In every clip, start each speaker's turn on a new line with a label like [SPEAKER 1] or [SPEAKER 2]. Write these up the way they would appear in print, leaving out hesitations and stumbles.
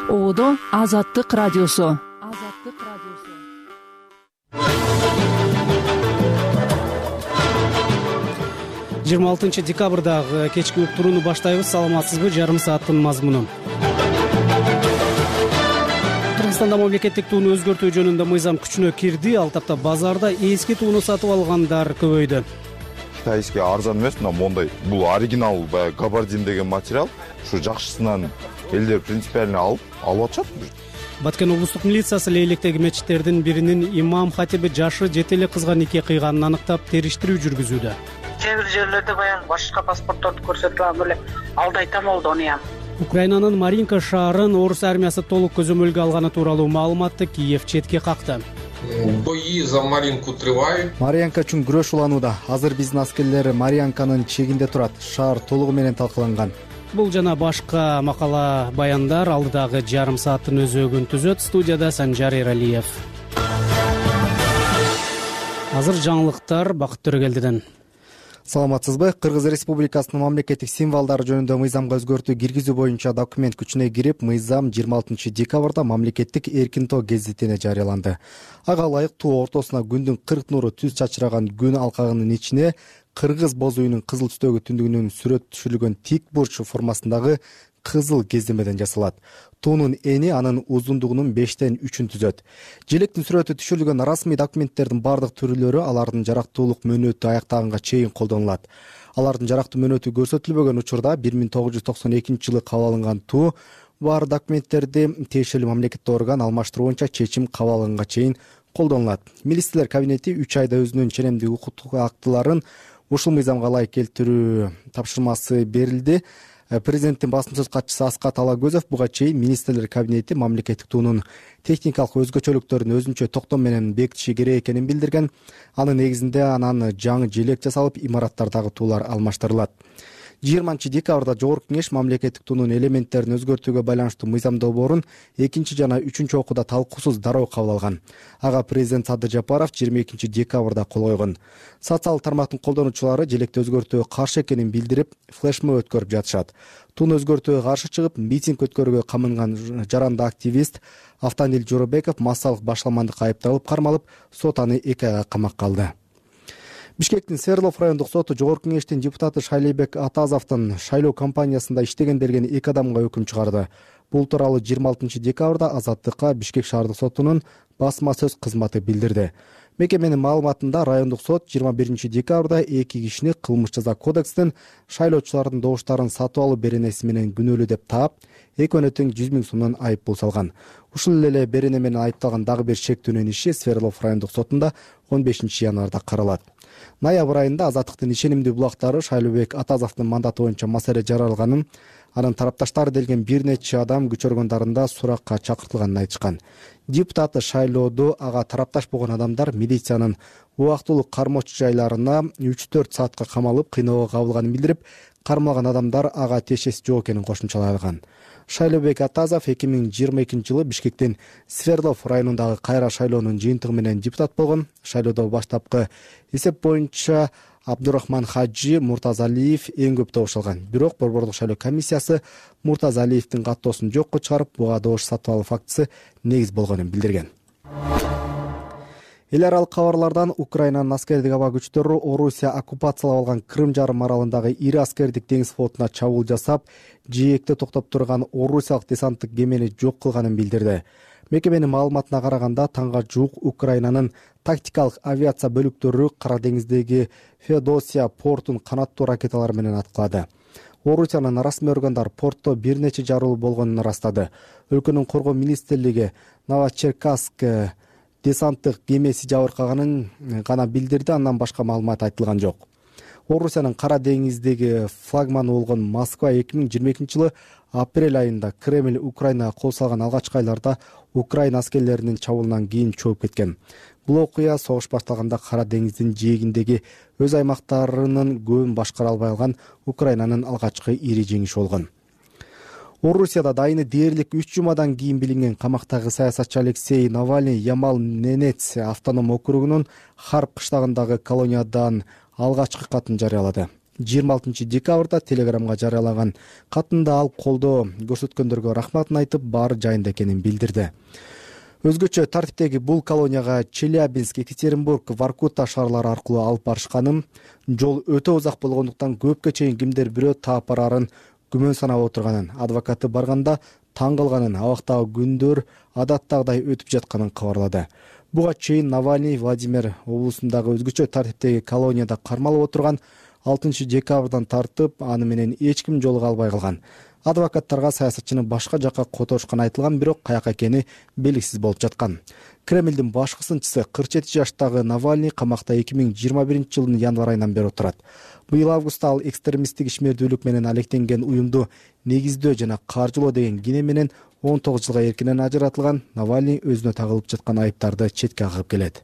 [SPEAKER 1] Оодо Азаттык радиосу.
[SPEAKER 2] 26 декабрдагы кечки уктурууну баштайбыз. Саламатсызбы? Жарым сааттын мазмуну. Кыргызстанда мамлекеттик тууну өзгөртүү жөнүндө мыйзам күчүнө кирди. Ал тапта базарда эски тууну сатып алгандар көбөйдү.
[SPEAKER 3] Китайский арзан эмес, мондай. Бул оригинал габардин деген материал. Ушу жакшысынан элдер принципиально алып атышат.
[SPEAKER 2] Баткен облустук милициясы Лейлектеги мечиттердин биринин имам хатиби жашы жете эле кызга нике кыйганын аныктап териштирүү жүргүзүүдө.
[SPEAKER 4] Кээ бир жерлерде баягы башка паспортторду көрсөтүп алып эле алдайт болду onu.
[SPEAKER 2] Украинанын Маринка шаарын орус армиясы толук көзөмөлгө алганы тууралуу маалыматты Киев четке какты.
[SPEAKER 5] Бои за Маринку тривают.
[SPEAKER 6] Маринка үчүн күрөш уланууда. Азыр биздин аскерлер Маринканын чегинде турат. Шаар толугу менен талкаланган.
[SPEAKER 2] Бул жана башка макала баяндар алдыдагы жарым сааттын өзөгүн түзөт. Студияда Санжар Эралиев. Азыр жаңылыктар Бакыт Төрөгелдиден.
[SPEAKER 6] Саламатсызбы? Кыргыз Республикасынын мамлекеттик символдору жөнүндө мыйзамга өзгөртүү киргизүү боюнча документ күчүнө кирип, мыйзам 26 декабрда мамлекеттик эркин тоо гезитине жарыяланды. Ага ылайык тоо ортосуна күндүн 40 нуру түз чачыраган күн алкагынын ичине кыргыз боз үйүнүн кызыл түстөгү түндүгүнүн сүрөт түшүрүлгөн тик бурч формасындагы кызыл кездемеден жасалат. Туунун эни анын узундугунун 5тен 3-ün түзөт. Желектин сүрөтү түшүрүлгөн расмий документтердин бардык түрлөрү алардын жарактуулук мөөнөтү аяктаганга чейин колдонулат. Алардын жарактуу мөөнөтү көрсөтүлбөгөн учурда 1992 кабыл алынган туу бар документтерди тиешелүү мамлекеттик орган алмаштыруу боюнча чечим кабыл алганга чейин колдонулат. Министрлер кабинети 3 айда өзүнүн ченемдик укуктук актыларын ушул мыйзамга ылайык келтирүү тапшырмасы берилди. Президенттин басым сөз катчысы Аскат Алагөзов буга чейин министрлер кабинети мамлекеттик туунун техникалык өзгөчөлүктөрүн өзүнчө токтом менен бекитиши керек экенин билдирген. Анын негизинде анан жаңы желек жасалып, имараттардагы туулар алмаштырылат. 20 декабрда Жогорку кеңеш мамлекеттик туунун элементтерин өзгөртүүгө байланыштуу мыйзам долбоорун 2 жана 3 окууда талкуусуз дароо кабыл алган. Ага президент Садыр Жапаров 22 декабрда кол койгон. Социалдык тармактын колдонуучулары желекти өзгөртүүгө каршы экенин билдирип, флешмоб өткөрүп жатышат. Тууну өзгөртүүгө каршы чыгып, митинг өткөрүүгө камынган жаранды активист Автандил Жоробеков массалык башаламандыкка айыпталып кармалып, сот аны 2 айга камакка алды. Бишкектин Свердлов райондук соту Жогорку кеңештин депутаты Шайлебек Атазовдун шайлоо кампаниясында иштеген делген 2 адамга өкүм чыгарды. Бул тууралуу 26 декабрда Азаттыкка Бишкек шаардык сотунун басма сөз кызматы билдирди. Мекеменин маалыматында райондук сот 21 декабрда 2 кишини кылмыш жаза кодекстин шайлоочулардын добуштарын сатып алуу беренеси менен күнөөлүү деп таап, экөөнө тең 100 000 сомдон айып пул салган. Ушул эле берене менен айыпталган дагы бир шектүүнүн иши Свердлов райондук сотунда 15 январда каралат. Ноябрь айында Азаттыктын ишенимдүү булактары Шайлебек Атазовдун мандаты боюнча маселе жаралганын, анын тарапташтары делген бир нече адам күч органдарында суракка чакыртылганын айтышкан. Депутаты шайлоодо ага тарапташ болгон адамдар милициянын убактылуу кармоочу жайларына 3-4 саатка камалып, кыйноого кабылганын билдирип, кармалган адамдар ага тиешеси жок экенин кошумчалаган. Шайлебек Атазов 2022 жылы Бишкектин Свердлов районундагы кайра шайлоонун жыйынтыгы менен депутат болгон. Шайлоодо баштапкы эсеп боюнча Абдурахман Хаджи Муртазалиев эң көп добуш алган. Бирок Борбордук шайлоо комиссиясы Муртазалиевдин каттоосун жокко чыгарып, буга добуш сатып алуу фактысы негиз болгонун билдирген. Эл аралык кабарлардан Украинанын аскердик аба күчтөрү Орусия оккупациялап алган Крым жарым аралындагы ири аскердик деңиз флотуна чабуул жасап, жээкте токтоп турган орусиялык десанттык кемени жок кылганын билдирди. Мекеменин маалыматына караганда, таңга жуук Украинанын тактикалык авиация бөлүктөрү Кара деңиздеги Феодосия портун канаттуу ракеталар менен аткылады. Орусиянын расмий органдар портто бир нече жарылуу болгонун ырастады. Өлкөнүн коргоо министрлиги Новочеркасск десанттык кемеси жабыркаганын гана билдирди, андан башка маалымат айтылган жок. Орусиянын Кара деңиздеги флагманы болгон Москва 2022 жылы апрель айында Кремль Украинага кол салган алгачкы айларда Украина аскерлеринин чабуулунан кийин чөгүп кеткен. Бул окуя согуш башталганда Кара деңиздин жээгиндеги өз аймактарынын көбүн башкара албай алган Украинанын алгачкы ири жеңиши болгон. Орусияда дайыны дээрлик 3 жумадан кийин билинген камактагы саясатчы Алексей Навальный Ямал-Ненец автоном округунун Харп кыштагындагы колониядан алгачкы катын жарыялады. 26 декабрда Телеграмга жарыялаган катында ал колдоо көрсөткөндөргө рахматын айтып, баары жайында экенин билдирди. Өзгөчө тартиптеги бул колонияга Челябинск, Екатеринбург, Воркута шаарлары аркылуу алып барышканын, жол өтө узак болгондуктан көпкө чейин кимдер бирөө таап барарын күмөн санап отурганын, адвокаты барганда таң калганын, абактагы күндөр адаттагыдай өтүп жатканын кабарлады. Буга чейин Навальный Владимир облусундагы өзгөчө тартиптеги колонияда кармалып отурган 6 декабрдан тартып, аны менен эч ким жолуга албай калган. Адвокаттарга саясатчыны башка жакка которушкан айтылган, бирок каяка экени белгисиз болуп жаткан. Кремлдин башкы сынчысы 47 жаштагы Навальный камакта 2021 жылдын январь айынан бери отурат. Быйыл августта ал экстремисттик ишмердүүлүк менен алектенген уюмду негиздөө жана каржылоо деген кине менен 19 жылга эркинен ажыратылган. Навальный өзүнө тагылып жаткан айыптарды четке кагып келет.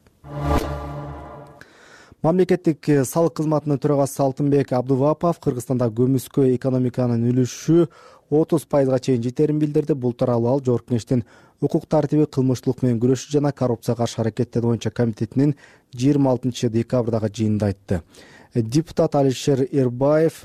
[SPEAKER 6] Мамлекеттик салык кызматынын төрагасы Алтынбек Абдувапов Кыргызстанда көмүскө экономиканын үлүшү 30% чейин жетерин билдирди. Бул тууралуу ал Жогорку Кеңештин укук тартиби, кылмыштуулук менен күрөшүү жана коррупцияга каршы аракеттер боюнча комитетинин 26 декабрдагы жыйынында айтты. Депутат Алишер Эрбаев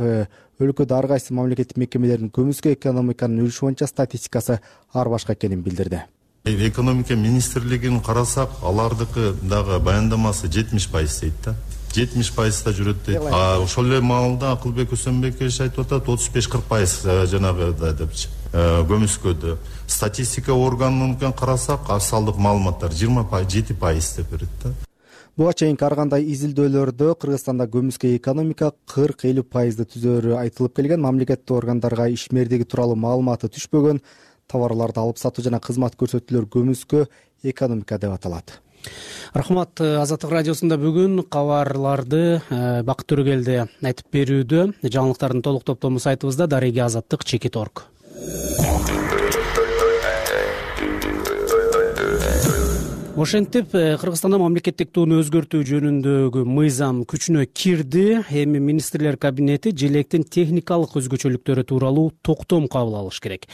[SPEAKER 6] өлкөдө ар кайсы мамлекеттик мекемелердин көмүскө экономиканын үлүшү боюнча статистикасы ар башка экенин билдирди.
[SPEAKER 7] Экономика министрлигин карасак, алардыкы дагы баяндамасы 70% дейт да. 70%да жүрөт дейт. Ошол эле маалда Акылбек Өсөнбекович айтып атат 35-40% жанагы депчи. Көмүскөдө статистика органынан карасак, асалдык маалыматтар 27% деп берет да.
[SPEAKER 6] Буга чейинки ар кандай изилдөөлөрдө Кыргызстанда көмүскө экономика 40-50% түзөрү айтылып келген. Мамлекеттик органдарга ишмердиги тууралуу маалыматы түшпөгөн товарларды алып сатуу жана кызмат көрсөтүүлөр көмүскө экономика деп аталат.
[SPEAKER 2] Рахмат. Азаттык радиосунда бүгүн кабарларды Бакыт Төрөгелди айтып берүүдө. Жаңылыктардын толук топтому сайтыбызда дареги azattik.org. Ошентип, Кыргызстанда мамлекеттик тууну өзгөртүү жөнүндөгү мыйзам күчүнө кирди. Эми министрлер кабинети желектин техникалык өзгөчөлүктөрү тууралуу токтом кабыл алыш керек.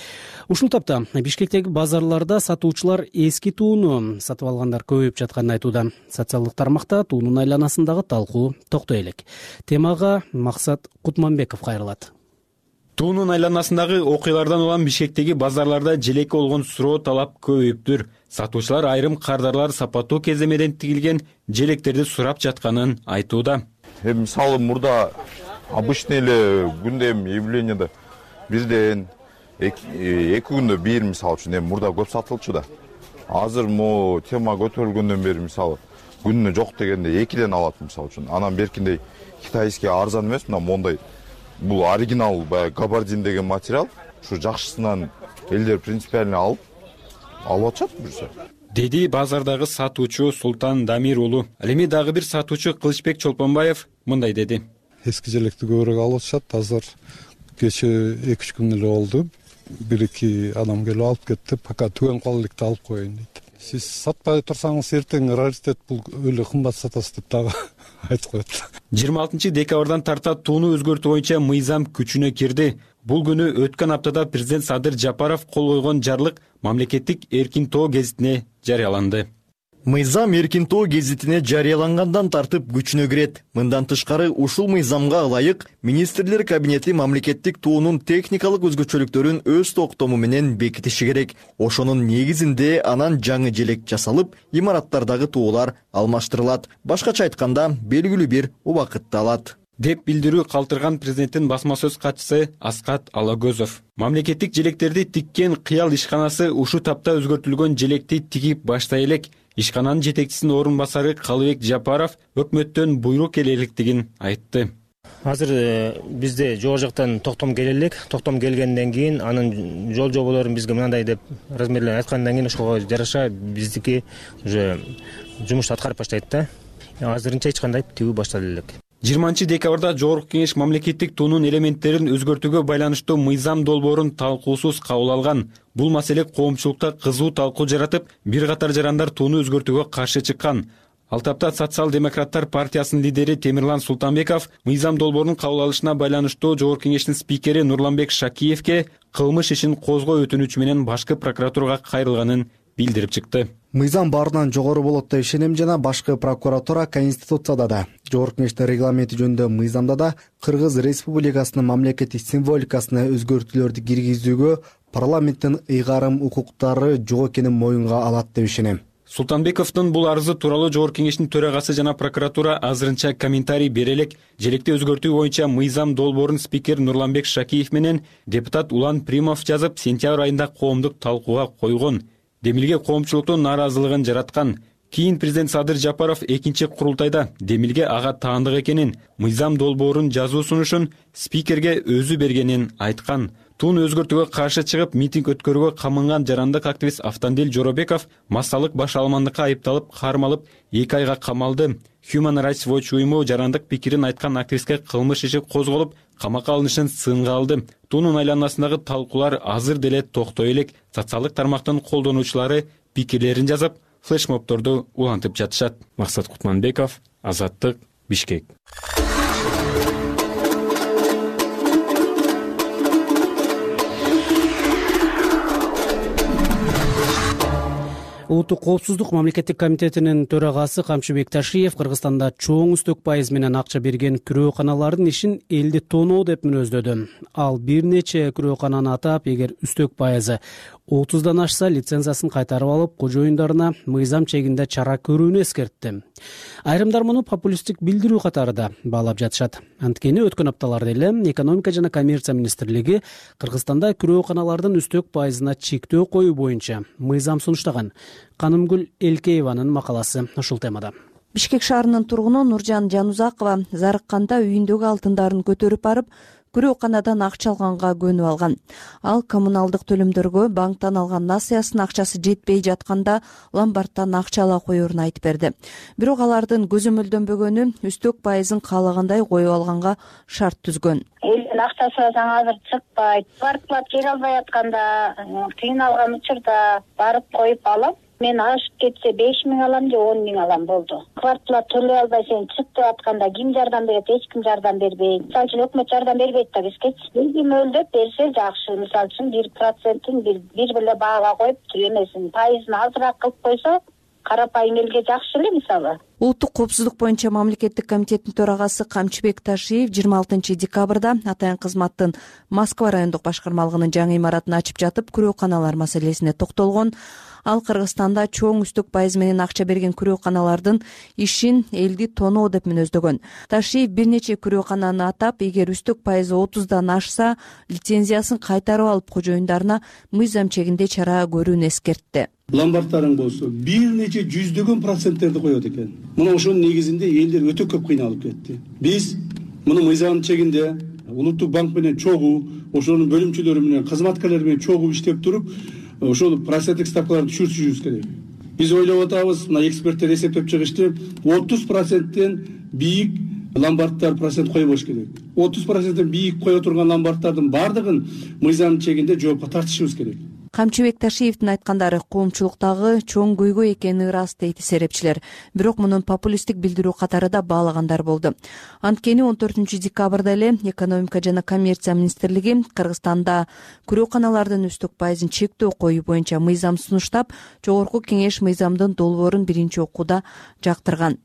[SPEAKER 2] Ушул тапта Бишкектеги базарларда сатуучулар эски тууну сатып алгандар көбөйүп жатканын айтууда. Социалдык тармакта туунун айланасындагы талкуу токтой элек. Темага Максат Кутманбеков кайрылат.
[SPEAKER 8] Туунун айланасындагы окуялардан улам Бишкектеги базарларда желекке болгон суроо талап көбөйүптүр. Сатуучулар айрым кардарлар сапаттуу кеземеден тигилген желектерди сурап жатканын айтууда.
[SPEAKER 3] Мисалы мурда обычный эле күндө явленияда бирден 2 күндө бир мисалы үчүн мурда көп сатылчу да. Азыр мо тема көтөрүлгөндөн бери мисалы күнүнө жок дегенде 2ден алат мисалы үчүн. Анан беркиндей китайский арзан эмес, мына мондай бул оригинал габардин деген материал. Ушу жакшысынан элдер принципиально алып атышат жүрсө.
[SPEAKER 8] Деди базардагы сатуучу Султан Дамир уулу. Ал эми дагы бир сатуучу Кылычбек Чолпонбаев мындай деди.
[SPEAKER 9] Эски желекти көбүрөөк алып атышат. Азыр кече 2-3 күн эле болду. 1-2 адам келип алып кетти. Пока түгөн кала электи алып коеюн дейт. Сиз сатпай турсаңыз эртең раритет бул өлө кымбат сатасыз деп дагы айтып коет.
[SPEAKER 8] 26 декабрдан тарта тууну өзгөртүү боюнча мыйзам күчүнө кирди. Бул күнү өткөн аптада президент Садыр Жапаров кол койгон жарлык мамлекеттик эркин тоо гезитине жарыяланды.
[SPEAKER 10] Мыйзам эркин тоо гезитине жарыялангандан тартып күчүнө кирет. Мындан тышкары ушул мыйзамга ылайык министрлер кабинети мамлекеттик туунун техникалык өзгөчөлүктөрүн өз токтому менен бекитиши керек. Ошонун негизинде анан жаңы желек жасалып, имараттардагы туулар алмаштырылат. Башкача айтканда, белгилүү бир убакытты алат
[SPEAKER 8] деп билдирүү калтырган президенттин басма сөз катчысы Аскат Алагөзов. Мамлекеттик желектерди тиккен кыял ишканасы ушу тапта өзгөртүлгөн желекти тигип баштай элек. Ишкананын жетекчисинин орун басары Калыбек Жапаров өкмөттөн буйрук келе электигин айтты.
[SPEAKER 11] Азыр бизде жогору жактан токтом келе элек. Токтом келгенден кийин анын жол жоболорун бизге мындай деп размерлер айткандан кийин ошого жараша биздики уже жумушту аткарып баштайт да. Азырынча эч кандай тигүү баштале элек.
[SPEAKER 8] 20 декабрда Жогорку Кеңеш мамлекеттик туунун элементтерин өзгөртүүгө байланыштуу мыйзам долбоорун талкуусуз кабыл алган. Бул маселе коомчулукта кызуу талкуу жаратып, бир катар жарандар тууну өзгөртүүгө каршы чыккан. Ал тапта Социал-демократтар партиясынын лидери Темирлан Султанбеков мыйзам долбоорунун кабыл алышына байланыштуу Жогорку Кеңештин спикери Нурланбек Шакиевке кылмыш ишин козгоо өтүнүчү менен башкы прокуратурага кайрылганын билдирип чыкты.
[SPEAKER 6] Мыйзам баарынан жогору болот деп ишенем жана башкы прокуратура, Конституцияда да, Жогорку Кеңештин регламенти жөнүндө мыйзамда да Кыргыз Республикасынын мамлекеттик символикасына өзгөртүүлөрдү киргизүүгө парламенттин ыйгарым укуктары жок экенин моюнга алат деп ишенем.
[SPEAKER 8] Султанбековдун бул арызы тууралуу Жогорку Кеңештин төрагасы жана прокуратура азырынча комментарий бере элек. Желекте өзгөртүү боюнча мыйзам долбоорун спикер Нурланбек Шакиев менен депутат Улан Примов жазып, сентябрь айында коомдук талкууга койгон. Демилге коомчулуктун нааразылыгын жараткан. Кийин президент Садыр Жапаров экинчи курултайда Демилге ага таандык экенин, мыйзам долбоорун жазуу сунушун спикерге өзү бергенин айткан. Тун өзгөртүүгө каршы чыгып, митинг өткөрүүгө камынган жарандык активист Автандил Жоробеков массалык баш алмандыкка айыпталып, кармалып 2 айга камалды. Human Rights Watch уюму жарандык пикирин айткан активистке кылмыш иши козголуп, камакка алынышын сынга алды. Тунун айланасындагы талкуулар азыр деле токтой элек. Социалдык тармактын колдонуучулары пикирлерин жазып, флешмобторду улантып жатышат. Максат Кутманбеков, Азаттык, Бишкек.
[SPEAKER 2] Улуттук коопсуздук мамлекеттик комитетинин төрагасы Камчыбек Ташиев Кыргызстанда чоң үстөк пайыз менен акча берген күрөөканалардын ишин элди тоноо деп мүнөздөдү. Ал бир нече күрөөкананы атап, эгер үстөк пайызы 30дан ашса лицензиясын кайтарып алып, кожоюндарына мыйзам чегинде чара көрүүнү эскертти. Айрымдар муну популисттик билдирүү катарында баалап жатышат. Анткени өткөн апталарда эле экономика жана коммерция министрлиги Кыргызстанда күрөөканалардын үстөк пайызына чектөө коюу боюнча мыйзам сунуштаган. Канымгүл Элкееванын макаласы ушул темада.
[SPEAKER 12] Бишкек шаарынын тургуну Нуржан Жанузакова зарыкканда үйүндөгү алтындарын көтөрүп барып, күрөөканадан акча алганга көнүп алган. Ал коммуналдык төлөмдөргө банктан алган насыясынын акчасы жетпей жатканда ломбардтан акча ала коерун айтып берди. Бирок алардын көзөмөлдөнбөгөнү үстөк пайызын каалагандай коюп алганга шарт түзгөн.
[SPEAKER 13] Элдин акчасы азыр чыкпайт. Квартплат бере албай атканда, кыйналган учурда барып коюп алам. Мен ашып кетсе 5.000 алам же 10.000 алам болду. Квартплат төлөй албай сен чык деп атканда ким жардам берет? Эч ким жардам бербейт. Мисалы үчүн өкмөт жардам бербейт да бизге. Бизге мөлдөп берсе жакшы. Мисалы үчүн 1%-ын бир эле баага коюп, эмесин пайызын азыраак кылып койсо, карапайым элге жакшы эле мисалы.
[SPEAKER 12] Улуттук коопсуздук боюнча мамлекеттик комитеттин төрагасы Камчыбек Ташиев 26 декабрда атайын кызматтын Москва райондук башкармалыгынын жаңы имаратын ачып жатып, күрөөканалар маселесине токтолгон. Ал Кыргызстанда чоң үстөк пайыз менен акча берген күрөөканалардын ишин элди тоноо деп мүнөздөгөн. Ташиев бир нече күрөөкананы атап, эгер үстөк пайызы 30дан ашса, лицензиясын кайтарып алып кожоюндарына мыйзам чегинде чара көрүүнү эскертти.
[SPEAKER 14] Ломбардтарың болсо бир нече жүздөгөн проценттерди коет экен. Мына ошонун негизинде элдер өтө көп кыйналып кетти. Биз муну мыйзам чегинде улуттук банк менен чогуу, ошонун бөлүмчөлөрү менен, кызматкерлер менен чогуу иштеп туруп, ошол проценттик ставкаларды түшүрүшүбүз керек. Биз ойлоп атабыз, мына эксперттер эсептеп чыгышты, 30%тен бийик ломбардтар процент койбош керек. 30%тен бийик кое турган ломбардтардын баардыгын мыйзам чегинде жоопко тартышыбыз керек.
[SPEAKER 12] Камчыбек Ташиевдин айткандары коомчулуктагы чоң көйгөй экени ырас дейт серепчилер. Бирок мунун популисттик билдирүү катары да баалагандар болду. Анткени 14 декабрда эле экономика жана коммерция министрлиги Кыргызстанда күрөөканалардын үстөк пайызын чектөө коюу боюнча мыйзам сунуштап, Жогорку Кеңеш мыйзамдын долбоорун биринчи окууда жактырган.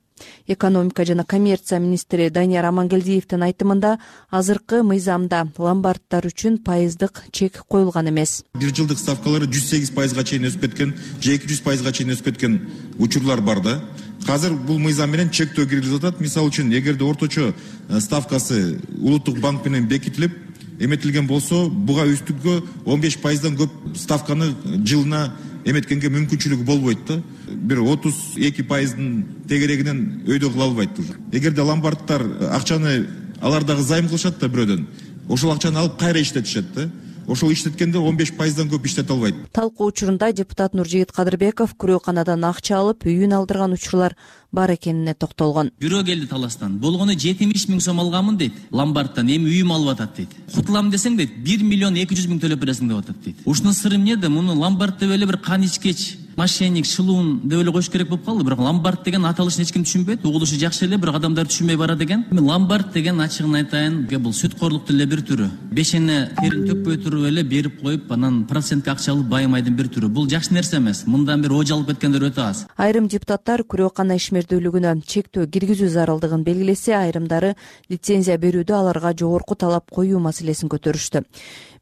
[SPEAKER 12] Экономика жана коммерция министри Данияр Амангелдиевдин айтымында азыркы мыйзамда ломбардтар үчүн пайыздык чек коюлган эмес.
[SPEAKER 15] Бир жылдык ставкалары 108%га чейин өсүп кеткен, же 200%га чейин өсүп кеткен учурлар бар да. Азыр бул мыйзам менен чектөө киргизилип атат. Мисалы үчүн, эгерде орточо ставкасы улуттук банк менен бекитилип, эметилген болсо, буга үстүккө 15%дан көп ставканы жылына эметкенге мүмкүнчүлүгү болбойт да. Бир 32%дын тегерегинен өйдө кыла албайт. Эгерде ломбардтар акчаны алардагы займ кылышат да бирөөдөн, ошол акчаны алып кайра иштетишет да. Ошол иштеткенде 15%дан көп иштете албайт.
[SPEAKER 12] Талкуу учурунда депутат Нуржигит Кадырбеков күрөөканадан акча алып, үйүн алдырган учурлар бар экенине токтолгон.
[SPEAKER 16] Бирөө келди таластан. Болгону 70.000 сом алганмын дейт. Ломбардтан эми үйүм алып атат дейт. Кутулам десең дейт, 1.200.000 төлөп бересиң деп атат дейт. Ушунун сыры эмнеде? Муну ломбард деп эле бир кан ичкеч мошенник, шылуун деп эле коюш керек болуп калды. Бирок ломбард деген аталышын эч ким түшүнбөйт. Угулушу жакшы эле, бирок адамдар түшүнбөй барат экен. Ломбард деген ачыгын айтайын, бул сүткорлуктун эле бир түрү. Бешене терин төкпөй туруп эле берип коюп, анан процентке акча алып байымайдын бир түрү. Бул жакшы нерсе эмес. Мындан бир ожа алып кеткендер өтө аз.
[SPEAKER 12] Айрым депутаттар күрөкана ишмердүүлүгүнө чектөө киргизүү зарылдыгын белгилесе, айрымдары лицензия берүүдө аларга жогорку талап коюу маселесин көтөрүштү.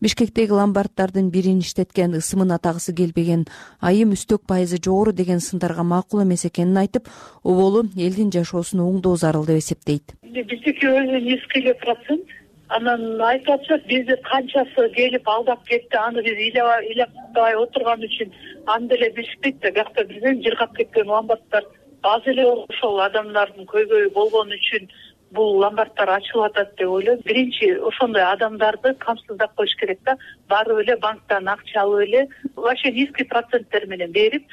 [SPEAKER 12] Бишкектеги ломбарддардын бирин иштеткен ысымын атагысы келбеген, айым үстөк пайызы жогору деген сындарга макул эмес экенин айтып, оболу элдин жашоосун оңдоо зарыл деп эсептейт.
[SPEAKER 17] Биздики өзү низкий эле процент. Анан айтып атышат, бизди канчасы келип алдап кетти, аны биз ыйлабай отурган үчүн аны деле билишпейт да. Бияқта бизден жыргап кеткен ломбарддар аз эле ошол адамдардын көйгөйү болгон үчүн бул ломбарддар ачылып атат деп ойлойм. Биринчи ошондой адамдарды камсыздап коюш керек да. Барып эле банктан акча алып эле вообще низкий проценттер менен берип,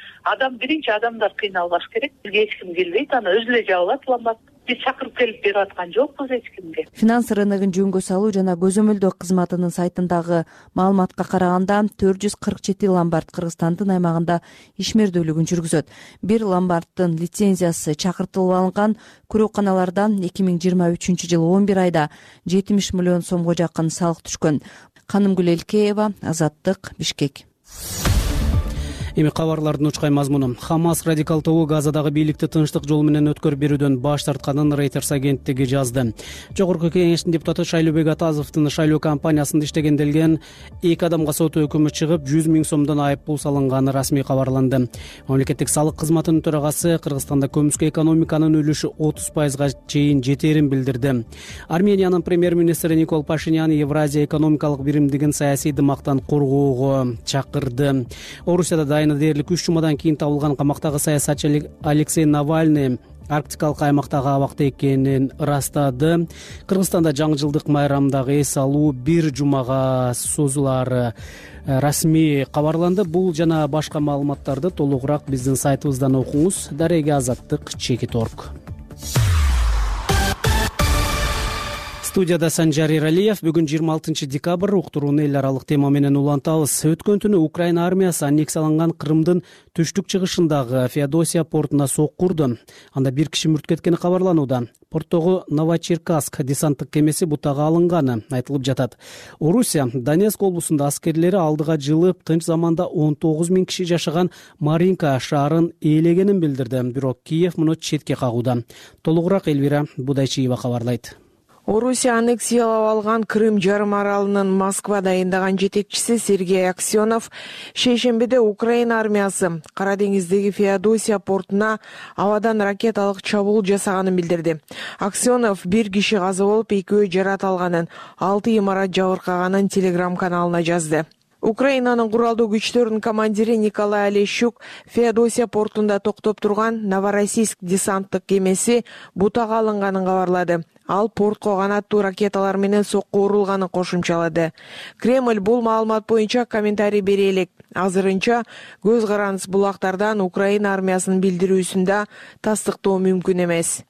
[SPEAKER 17] биринчи адамдар кыйналбаш керек. Бизге эч ким келбейт, аны өзү эле жабылат ломбард. Биз чакырып келип берип аткан жокпуз эч кимге.
[SPEAKER 12] Финанс рыногун жөнгө салуу жана көзөмөлдөө кызматынын сайтындагы маалыматка караганда 447 ломбард Кыргызстандын аймагында ишмердүүлүгүн жүргүзөт. Бир ломбарддын лицензиясы чакыртылып алынган күрөканалардан 2023 жылы 11 айда 70 миллион сомго жакын салык түшкөн. Канымгүл Элкеева, Азаттык, Бишкек.
[SPEAKER 2] Эми кабарлардын учкай мазмуну. Хамас радикал тобу Газадагы бийликти тынчтык жолу менен өткөрүп берүүдөн баш тартканын Reuters агенттиги жазды. Жогорку кеңештин депутаты Шайлообек Атазовдун шайлоо кампаниясында иштегенделген 2 адамга сот өкүмү чыгып, 100 000 сомдон айып пул салынганы расмий кабарланды. Мамлекеттик салык кызматынын төрагасы Кыргызстанда көмүскө экономиканын үлүшү 30%га чейин жетерин билдирди. Армениянын премьер-министри Никол Пашинян Евразия экономикалык биримдигин саясий дымактан коргоого чакырды. Орусияда дээрлик 3 жумадан кийин табылган камактагы саясатчы Алексей Навальный арктикалык аймактагы абакта экенин ырастады. Кыргызстанда жаңы жылдык майрамдагы эс алуу 1 жумага созулаары расмий кабарланды. Бул жана башка маалыматтарды толугураак биздин сайтыбыздан окуңуз. Дареге Азаттык, Чекит.орг. Студияда Санжар Иралиев. Бүгүн 26 декабрь уктурууну эл аралык тема менен улантабыз. Өткөн түнү Украина армиясы аннексияланган Крымдын түштүк чыгышындагы Феодосия портуна сокку урду. Анда 1 киши мүрт кеткени кабарланууда. Порттогу Новочеркасск десанттык кемеси бутага алынганы айтылып жатат. Орусия Донецк облусунда аскерлери алдыга жылып, тынч заманда 19 000 киши жашаган Маринка шаарын ээлегенин билдирди. Бирок Киев муну четке кагууда. Толугураак Элвира Будайчиева кабарлайт.
[SPEAKER 18] Орусия аннексиялап алган Крым жарым аралынын Москва дайындаган жетекчиси Сергей Аксенов шейшембиде Украина армиясы Кара деңиздеги Феодосия портуна абадан ракеталык чабуул жасаганын билдирди. Аксенов 1 киши каза болуп, 2 жаратылганын, 6 имарат жабыркаганын телеграм-каналына жазды. Украинанын куралдуу күчтөрүнүн командири Николай Олещук Феодосия портунда токтоп турган Новороссийск десанттык кемеси бутага алынганын кабарлады. Ал портко канаттуу ракеталар менен сокку урулганын кошумчалады. Кремль бул маалымат боюнча комментарий бере элек. Азырынча көз карандыс булактардан Украина армиясынын билдирүүсүндө тастыктоо мүмкүн эмес.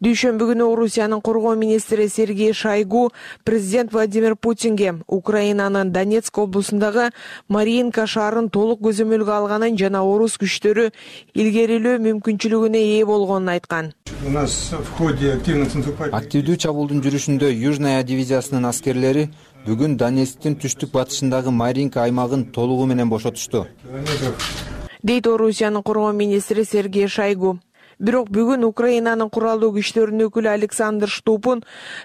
[SPEAKER 18] Дүйшөмбү күнү Орусиянын коргоо министри Сергей Шойгу президент Владимир Путинге Украинанын Донецк облусундагы Маринка шаарын толук көзөмөлгө алганын жана орус күчтөрү илгерилөө мүмкүнчүлүгүнө ээ болгонун айткан.
[SPEAKER 19] Активдүү чабуулдун жүрүшүндө Южная дивизиясынын аскерлери бүгүн Донецктин түштүк батышындагы Маринка аймагын толугу менен бошотушту,
[SPEAKER 18] дейт Орусиянын коргоо министри Сергей Шойгу. Бирок бүгүн Украинанын куралдуу күчтөрүнүн өкүлү Александр Штупун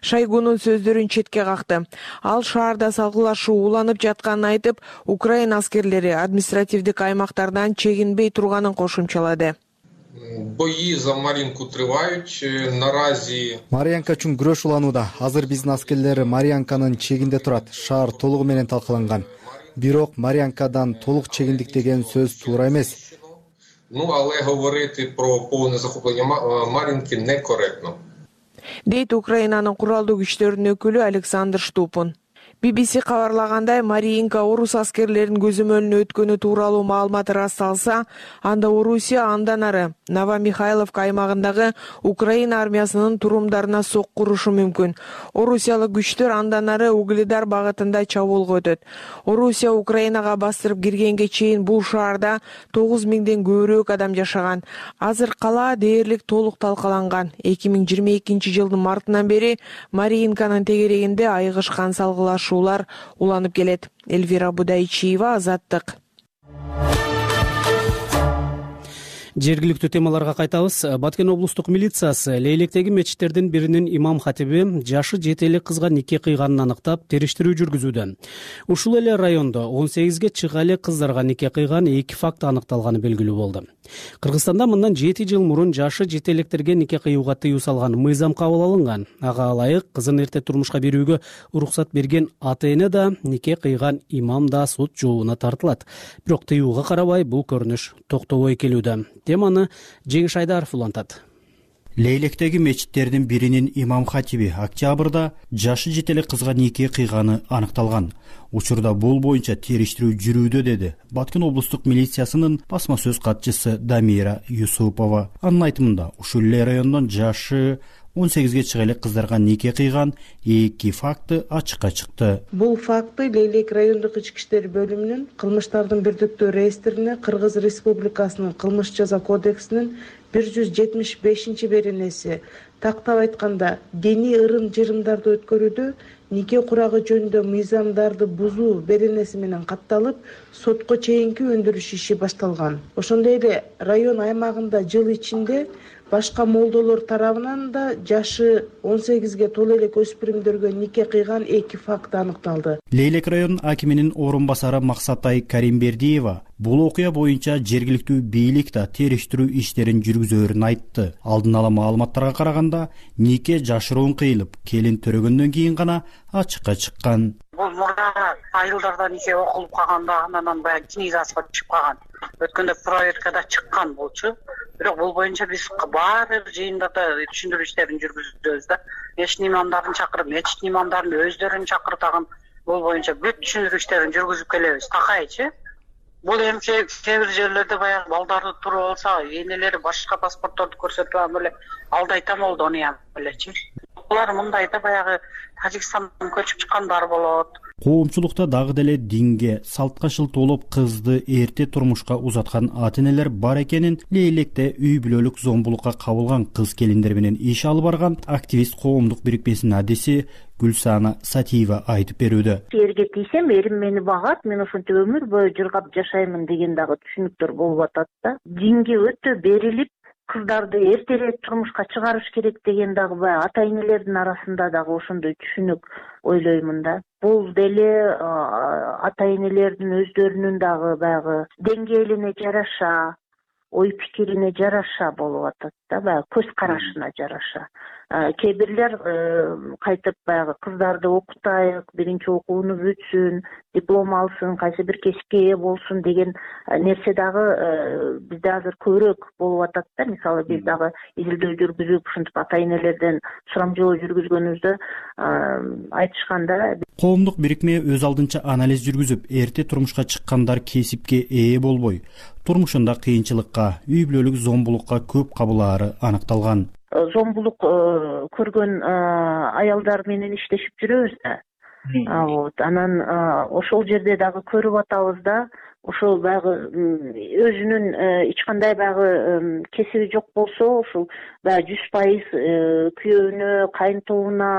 [SPEAKER 18] Шойгунун сөздөрүн четке какты. Ал шаарда салгылашуу уланып жатканын айтып, Украина аскерлери административдик аймактардан чегинбей турганын кошумчалады.
[SPEAKER 5] Бои за Маринку тривають наразі.
[SPEAKER 6] Марьянка үчүн күрөш уланууда. Азыр биздин аскерлери Марьянканын чегинде турат. Шаар толугу менен талкаланган. Бирок Марьянкадан толук чегиндик деген сөз туура эмес.
[SPEAKER 5] Але говорити про повне захоплення Мар'їнки некоректно.
[SPEAKER 18] Дейт Украинанын куралдуу күчтөрүнүн өкүлү Александр Штупун. BBC кабарлагандай, Маринка орус аскерлеринин көзөмөлүнө өткөнү тууралуу маалымат ырасталса, анда Орусия андан ары Новомихайловка аймагындагы Украина армиясынын турумдарына сокку урушу мүмкүн. Орусиялык күчтөр андан ары Угледар багытында чабуулга өтөт. Орусия Украинага бастырып киргенге чейин бул шаарда 9000ден көбүрөөк адам жашаган. Азыр кала дээрлик толук талкаланган. 2022 жылдын мартынан бери Маринканын тегерегинде айыгышкан салгылашуулар уланып келет. Эльвира Будайчиева, Азаттык.
[SPEAKER 2] Жергиликтүү темаларга кайтабыз. Баткен облустук милициясы Лейлектеги мечиттердин биринин имам хатиби жашы 7 эле кызга нике кыйганын аныктап, териштирүү жүргүзүүдө. Ушул эле райондо 18ге чыга эле кыздарга нике кыйган 2 факт аныкталганы белгилүү болду. Кыргызстанда мындан 7 жыл мурун жашы 7 электерге нике кыюуга тыюу салган мыйзам кабыл алынган. Ага ылайык кызын эрте турмушка берүүгө уруксат берген ата-эне да, нике кыйган имам да суд жообуна тартылат. Бирок тыюуга карабай бул көрүнүш токтобой келүүдө. Теманы Жеңиш Айдаров улантат.
[SPEAKER 20] Лейлектеги мечиттердин биринин имам хатиби октябрда жашы 7 эле кызга нике кыйганы аныкталган. Учурда бул боюнча териштирүү жүрүүдө, деди Баткен облустук милициясынын басма сөз катчысы Дамира Юсупова. Анын айтымында, ушул эле райондон жашы 18ге чыга эле кыздарга нике кыйган 2 факты ачыкка чыкты.
[SPEAKER 21] Бул факты Лейлек райондук ички иштер бөлүмүнүн кылмыштардын бирдиктүү реестрине Кыргыз Республикасынын кылмыш жаза кодексинин 175 беренеси, тактап айтканда, диний ырым-жырымдарды өткөрүүдө нике курагы жөнүндө мыйзамдарды бузуу беренеси менен катталып, сотко чейинки өндүрүш иши башталган. Ошондой эле район аймагында жыл ичинде башка молдолор тарабынан да жашы 18ге толо элек өспүрүмдөргө нике кыйган 2 факт аныкталды.
[SPEAKER 20] Лейлек район акиминин орун басары Максатай Каримбердиева бул окуя боюнча жергиликтүү бийлик да териштирүү иштерин жүргүзөөрүн айтты. Алдын ала маалыматтарга караганда, нике жашыруун кыйылып, келин төрөгөндөн кийин гана ачыкка чыккан.
[SPEAKER 4] Бул мурда айылдарда нике окулуп калганда анан баягы книгасына түшүп калган. Өткөндө проверкада чыккан болчу. Бирок бул боюнча биз баар бир жыйындарда түшүндүрүү иштерин жүргүзөбүз да. Мечит имамдарын чакырып, мечит имамдарын өздөрүн чакыртаган бул боюнча бүт түшүндүрүү иштерин жүргүзүп келебиз. Такайчы. Бул эми кээ бир жерлерде баягы балдарды туруп алса, энелери башка паспортторду көрсөтүп алып эле алдайтам болду, аны элечи. Булар мындайда баягы Тажикстандан көчүп чыккандар болот.
[SPEAKER 20] Коомчулукта дагы деле динге, салтка шылтоолоп кызды эрте турмушка узаткан ата-энелер бар экенин Лейлекте үй бүлөлүк зомбулукка кабылган кыз келиндер менен иш алып барган активист коомдук бирикмесинин адиси Гүлсана Сатиева айтып берүүдө.
[SPEAKER 22] Эрге тийсем, эрим мени багат, мен ошентип өмүр бою жыргап жашаймын деген дагы түшүнүктөр болуп атат да. Динге өтө берилип, кыздарды эртерээк турмушка чыгарыш керек деген дагы баягы ата-энелердин арасында дагы ошондой түшүнүк ойлоймун да. Бул деле ата-энелердин өздөрүнүн дагы баягы деңгээлине жараша, ой пикирине жараша болуп атат да, баягы көз карашына жараша. Кээ бирлер кайтып баягы кыздарды окутайык, биринчи окууну бүтсүн, диплом алсын, кайсы бир кесипке ээ болсун деген нерсе дагы бизде азыр көбүрөөк болуп атат да. Мисалы биз дагы изилдөө жүргүзүп, ушинтип ата-энелерден сурам жооп жүргүзгөнүбүздө айтышканда.
[SPEAKER 20] Коомдук бирикме өз алдынча анализ жүргүзүп, эрте турмушка чыккандар кесипке ээ болбой, турмушунда кыйынчылыкка, үй бүлөлүк зомбулукка көп кабылаары аныкталган.
[SPEAKER 22] Зомбулук көргөн аялдар менен иштешип жүрөбүз да. Анан ошол жерде дагы көрүп атабыз да, ошол баягы өзүнүн эч кандай баягы кесиби жок болсо, ошол баягы 100% күйөөнө, кайынтууна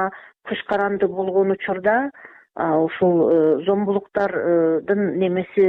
[SPEAKER 22] көз каранды болгон учурда ушул зомбулуктардын немеси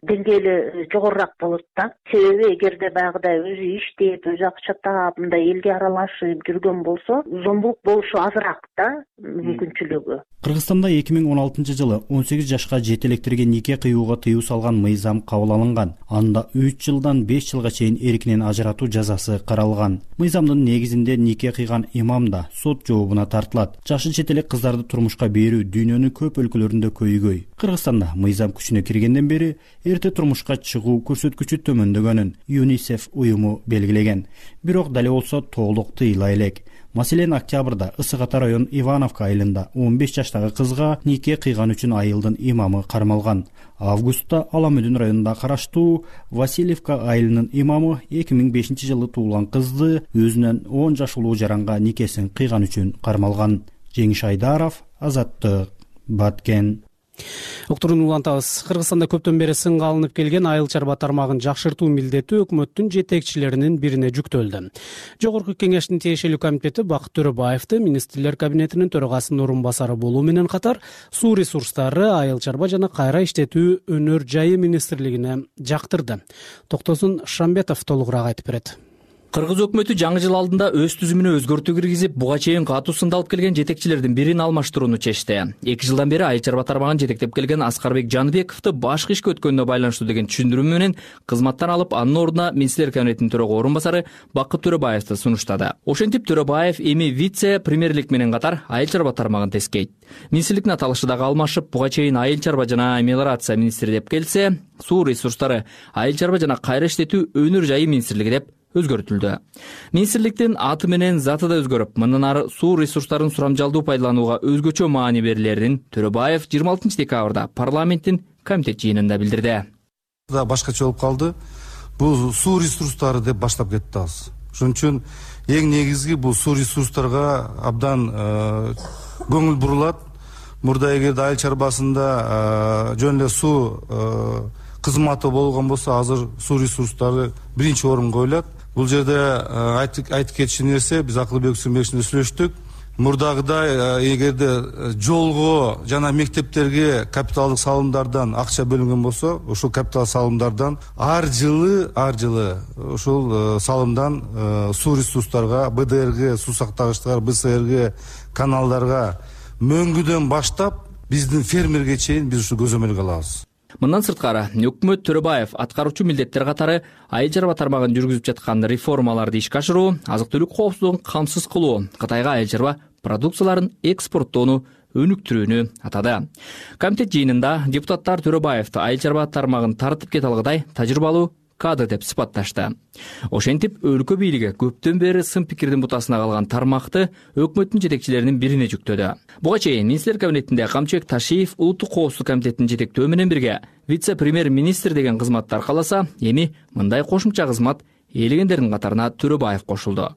[SPEAKER 22] деңгээли жогорураак болот да. Себеби эгерде баягыдай өзү иштеп, өзү акча таап, мындай элге аралашып жүргөн болсо, зомбулук болушу азыраак да мүмкүнчүлүгү.
[SPEAKER 20] Кыргызстанда 2016 жылы 18 жашка жетелектерге нике кыюуга тыюу салган мыйзам кабыл алынган. Анда 3 жылдан 5 жылга чейин эркинен ажыратуу жазасы каралган. Мыйзамдын негизинде нике кыйган имам да сот жообуна тартылат. Жашы жетелек кыздарды турмушка берүү дүйнөнүн көп өлкөлөрүндө көйгөй. Кыргызстанда мыйзам күчүнө киргенден бери эрте турмушка чыгуу көрсөткүчү төмөндөгөнүн ЮНИСЕФ уюму белгилеген. Бирок дале болсо толук тыйыла элек. Маселен, октябрда Ысык Ата район Ивановка айылында 15 жаштагы кызга нике кыйган үчүн айылдын имамы кармалган. Августта Аламөдүн районунда караштуу Васильевка айылынын имамы 2005 жылы туулган кызды өзүнөн 10 жаш улуу жаранга никесин кыйган үчүн кармалган. Жеңиш Айдаров, Азаттык, Баткен.
[SPEAKER 2] Уктурууну улантабыз. Кыргызстанда көптөн бери сынга алынып келген айыл чарба тармагын жакшыртуу милдети өкмөттүн жетекчилеринин бирине жүктөлдү. Жогорку кеңештин тиешелүү комитети Бакыт Төрөбаевди министрлер кабинетинин төрагасынын орун басары болуу менен катар суу ресурстары, айыл чарба жана кайра иштетүү өнөр жайы министрлигине жактырды. Токтосун Шамбетов толугураак айтып берет.
[SPEAKER 1] Кыргыз өкмөтү жаңы жыл алдында өз түзүмүнө өзгөртүү киргизип, буга чейин катуу сында алып келген жетекчилердин бирин алмаштырууну чечти. 2 жылдан бери айыл чарба тармагын жетектеп келген Аскарбек Жаныбековду башкы ишке өткөнүнө байланыштуу деген түшүндүрмө менен кызматтан алып, анын ордуна министрлер кабинетинин төрага орун басары Бакыт Төрөбаевди сунуштады. Ошентип Төрөбаев эми вице-премьерлик менен катар айыл чарба тармагын тескейт. Министрликтин аталышы дагы алмашып, буга чейин айыл чарба жана мелиорация министри деп келсе, суу ресурстары, айыл чарба жана кайра иштетүү өнөр жайы министрлиги деп өзгөртүлдү. Министрликтин аты менен заты да өзгөрүп, мындан ары суу ресурстарын сурамжалдуу пайдаланууга өзгөчө маани берилерин Төрөбаев 26 декабрда парламенттин комитет жыйынында билдирди.
[SPEAKER 7] Башкача болуп калды. Бул суу ресурстары деп баштап кетти азыр. Ошон үчүн эң негизги бул суу ресурстарга абдан көңүл бурулат. Мурда эгерде айыл чарбасында жөн эле суу кызматы болгон болсо, азыр суу ресурстары биринчи орунга коюлат. Бул жерде айтып кетчү нерсе, биз Акылбек Сүмбековичтен сүйлөштүк. Мурдагыдай эгерде жолго жана мектептерге капиталдык салымдардан акча бөлүнгөн болсо, ошол капитал салымдардан ар жылы ошол салымдан суу ресурстарга, БДРге, суу сактагычтарга, БСРге, каналдарга мөңгүдөн баштап биздин фермерге чейин биз ушу көзөмөлгө алабыз.
[SPEAKER 1] Мындан сырткары, өкмөт Төрөбаев аткаруучу милдеттер катары айыл чарба тармагын жүргүзүп жаткан реформаларды ишке ашыруу, азык-түлүк коопсуздугун камсыз кылуу, Кытайга айыл чарба продукцияларын экспорттоону өнүктүрүүнү атады. Комитет жыйынында депутаттар Төрөбаевди айыл чарба тармагын тартып кете алгыдай тажрыйбалуу кадр деп сыпатташты. Ошентип, өлкө бийлиги көптөн бери сын пикирдин бутасына калган тармакты өкмөттүн жетекчилеринин бирине жүктөдү. Буга чейин министрлер кабинетинде Камчыбек Ташиев улуттук коопсуздук комитетинин жетектөө менен бирге вице-премьер-министр деген кызматты аркаласа, эми мындай кошумча кызмат ээлегендердин катарына Төрөбаев кошулду.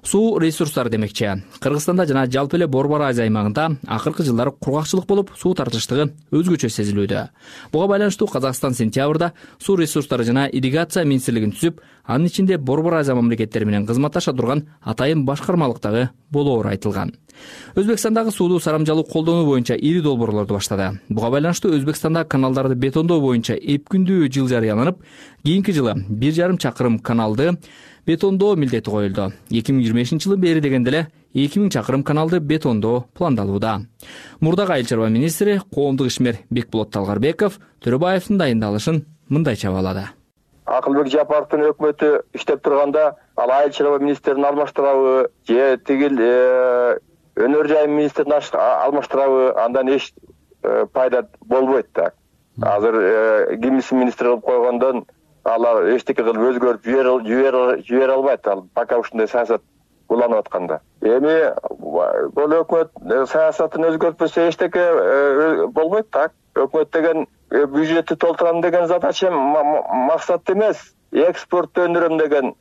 [SPEAKER 1] Суу ресурстары демекчи. Кыргызстанда жана жалпы эле Борбор Азия аймагында акыркы жылдары кургакчылык болуп, суу тартыштыгы өзгөчө сезилүүдө. Буга байланыштуу Казакстан сентябрда суу ресурстары жана ирригация министрлигин түзүп, анын ичинде Борбор Азия мамлекеттери менен кызматташа турган атайын башкармалыктагы болоору айтылган. Өзбекстандагы сууду сарамжалуу колдонуу боюнча ири долбоорлорду баштады. Буга байланыштуу Өзбекстанда каналдарды бетондоо боюнча эпкүндүү жыл жарыяланып, кийинки жылы 1,5 чакырым каналды бетондоо милдети коюлду. 2025 жылы бери дегенде эле 2000 чакырым каналды бетондоо пландалууда. Мурдагы айыл чарба министри коомдук ишмер Бекболот Талгарбеков Төрөбаевдин дайындалышын мындайча баалады.
[SPEAKER 23] Акылбек Жапаровдун өкмөтү иштеп турганда, ал айыл чарба министрин алмаштырабы, же тигил өнөр жайы министрин алмаштырабы, андан эч пайда болбойт да. Азыр кимиси министр кылып койгондон алар эчтеке кылып өзгөртүп жибере албайт, ал пока ушундай саясат уланып атканда. Эми бул өкмөт саясатын өзгөртпөсө эчтеке болбойт да. Өкмөт деген бюджетти толтурам деген задача максат эмес, экспортту өндүрөм деген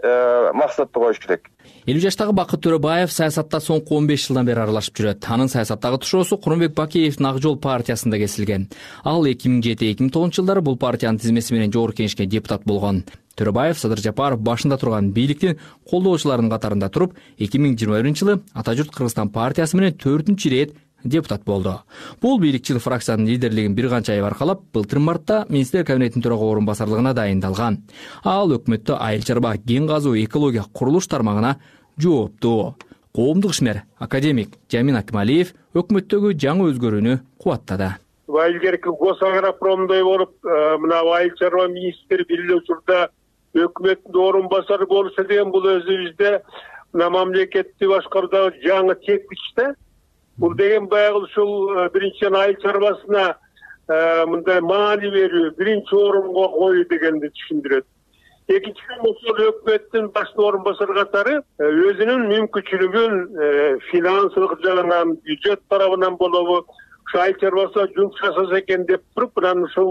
[SPEAKER 23] максатты коюш керек.
[SPEAKER 1] 50 жаштагы Бакыт Төрөбаев саясатта соңку 15 жылдан бери аралашып жүрөт. Анын саясаттагы тушоосу Курманбек Бакиевдин Ак жол партиясында кесилген. Ал 2007-2009 жылдары бул партиянын тизмеси менен жогорку кеңешке депутат болгон. Төрөбаев Садыр Жапаров башында турган бийликтин колдоочуларынын катарында туруп, 2021 жылы Ата журт Кыргызстан партиясы менен 4-чү ирет депутат болду. Бул бийликчил фракциянын лидерлигин бир канча ай аркалап, былтыр мартта министрлер кабинетинин төрага орун басарлыгына дайындалган. Ал өкмөттө айыл чарба, кен казуу, экология, курулуш тармагына жооптуу. Коомдук ишмер академик Жамин Акмалиев өкмөттөгү жаңы өзгөрүүнү кубаттады.
[SPEAKER 24] Илгерки Госагропромдой болуп, мына айыл чарба министри бир учурда өкмөттүн орун басары болушу деген бул өзүбүздө мына мамлекетти башкаруудагы жаңы тепкич да. Бул деген баягы ушул биринчиден айыл чарбасына мындай маани берүү, биринчи орунга коюу дегенди түшүндүрөт. экинчиден ошол өкмөттүн баш орун басары катары өзүнүн мүмкүнчүлүгүн финансылык жагынан, бюджет тарабынан болобу ушу айыл чарбасына жумуш жасаса экен деп туруп, анан ушул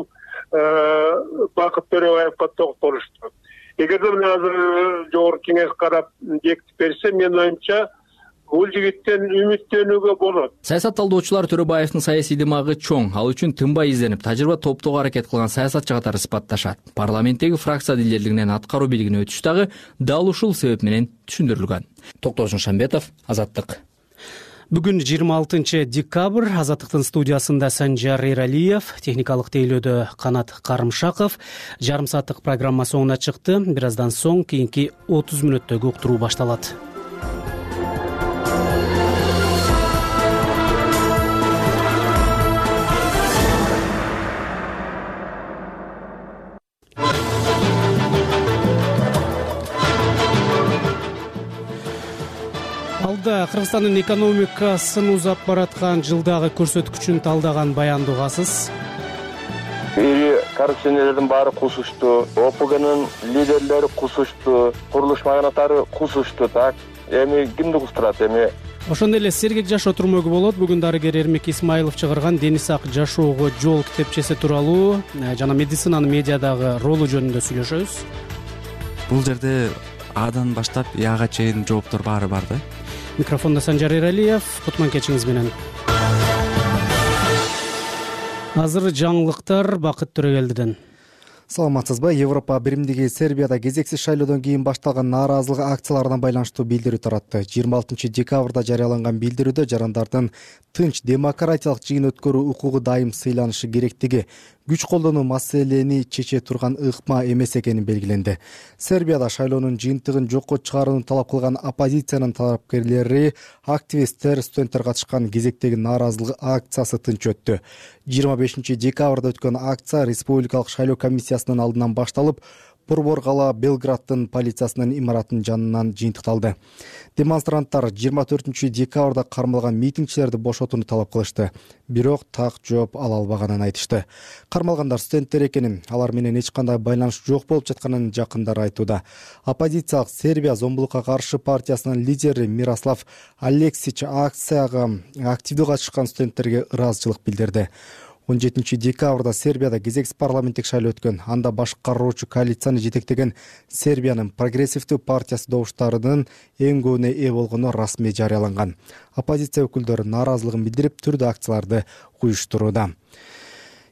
[SPEAKER 24] Бакыт Төрөбаевга токтолушту. Эгерде мына азыр жогорку кеңеш карап бекитип берсе, менин оюмча бул жигиттен үмүттөнүүгө болот.
[SPEAKER 1] Саясат талдоочулар Төрөбаевдин саясий дымагы чоң, ал үчүн тынбай изденип, тажрыйба топтоого аракет кылган саясатчы катары сыпатташат. Парламенттеги фракция лидерлигинен аткаруу бийлигине өтүш дагы дал ушул себеп менен түшүндүрүлгөн. Токтор Жумшанбетов, Азаттык.
[SPEAKER 2] Бүгүн 26 декабрь. Азаттыктын студиясында Санжар Эралиев, техникалык тейлөөдө Канат Карымшаков. Жарым сааттык программа соңуна чыкты. Бир аздан соң кийинки 30 мүнөттөгү уктуруу башталат. Кыргызстандын экономикасын узап бараткан жылдагы көрсөткүчүн талдаган баянды угасыз.
[SPEAKER 23] Ири коррупционерлердин баары кусушту, ОПГнын лидерлери кусушту, курулуш магнаттары кусушту, так. Эми кимди кустурат эми?
[SPEAKER 2] Ошондой эле сергек жашоо турмөгү болот. Бүгүн дарыгер Эрмек Исмаилов чыгарган Дени сак жашоого жол китепчеси тууралуу жана медицинанын медиадагы ролу жөнүндө сүйлөшөбүз.
[SPEAKER 3] Бул жерде Адан баштап Яга чейин жооптор баары бар да.
[SPEAKER 2] Микрофондо Санжар Эралиев, кутман кечиңиз менен. Азыр жаңылыктар Бакыт Төрөгелдиден.
[SPEAKER 6] Саламатсызбы? Европа биримдиги Сербияда кезексиз шайлоодон кийин башталган нааразылык акцияларына байланыштуу билдирүү таратты. 26 декабрда жарыяланган билдирүүдө жарандардын тынч демократиялык жыйын өткөрүү укугу дайым сыйланышы керектиги, күч колдонуу маселени чече турган ыкма эмес экени белгиленди. Сербияда шайлоонун жыйынтыгын жокко чыгарууну талап кылган оппозициянын талапкерлери, активисттер, студенттер катышкан кезектеги нааразылык акциясы тынч өттү. 25 декабрда өткөн акция республикалык шайлоо комиссиясынын алдынан башталып, Борбор кала Белграддын полициясынын имаратынын жанынан жыйынтыкталды. Демонстранттар 24 декабрда кармалган митингчилерди бошотууну талап кылышты. Бирок так жооп ала албаганын айтышты. Кармалгандар студенттер экенин, алар менен эч кандай байланыш жок болуп жатканын жакындары айтууда. Оппозициялык Сербия зомбулукка каршы партиясынын лидери Мирослав Алексич акцияга активдүү катышкан студенттерге ыраазычылык билдирди. 17 декабрда Сербияда кезексиз парламенттик шайлоо өткөн. Анда башкаруучу коалицияны жетектеген Сербиянын прогрессивдүү партиясы добуштарынын эң көбүнө ээ болгону расмий жарыяланган. Оппозиция өкүлдөрү нааразылыгын билдирип, түрдүү акцияларды уюштурууда.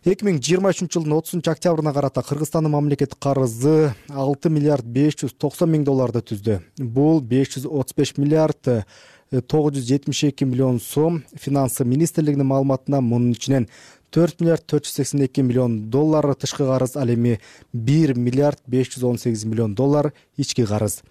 [SPEAKER 6] 2023 жылдын 30 октябрына карата Кыргызстандын мамлекеттик карызы 6 миллиард 590 миң долларды түздү. Бул 535 миллиард 972 миллион сом. Финансы министрлигинин маалыматында мунун ичинен 4 миллиард 482 миллион доллар тышкы карыз, ал эми 1 миллиард 518 миллион доллар ички карыз.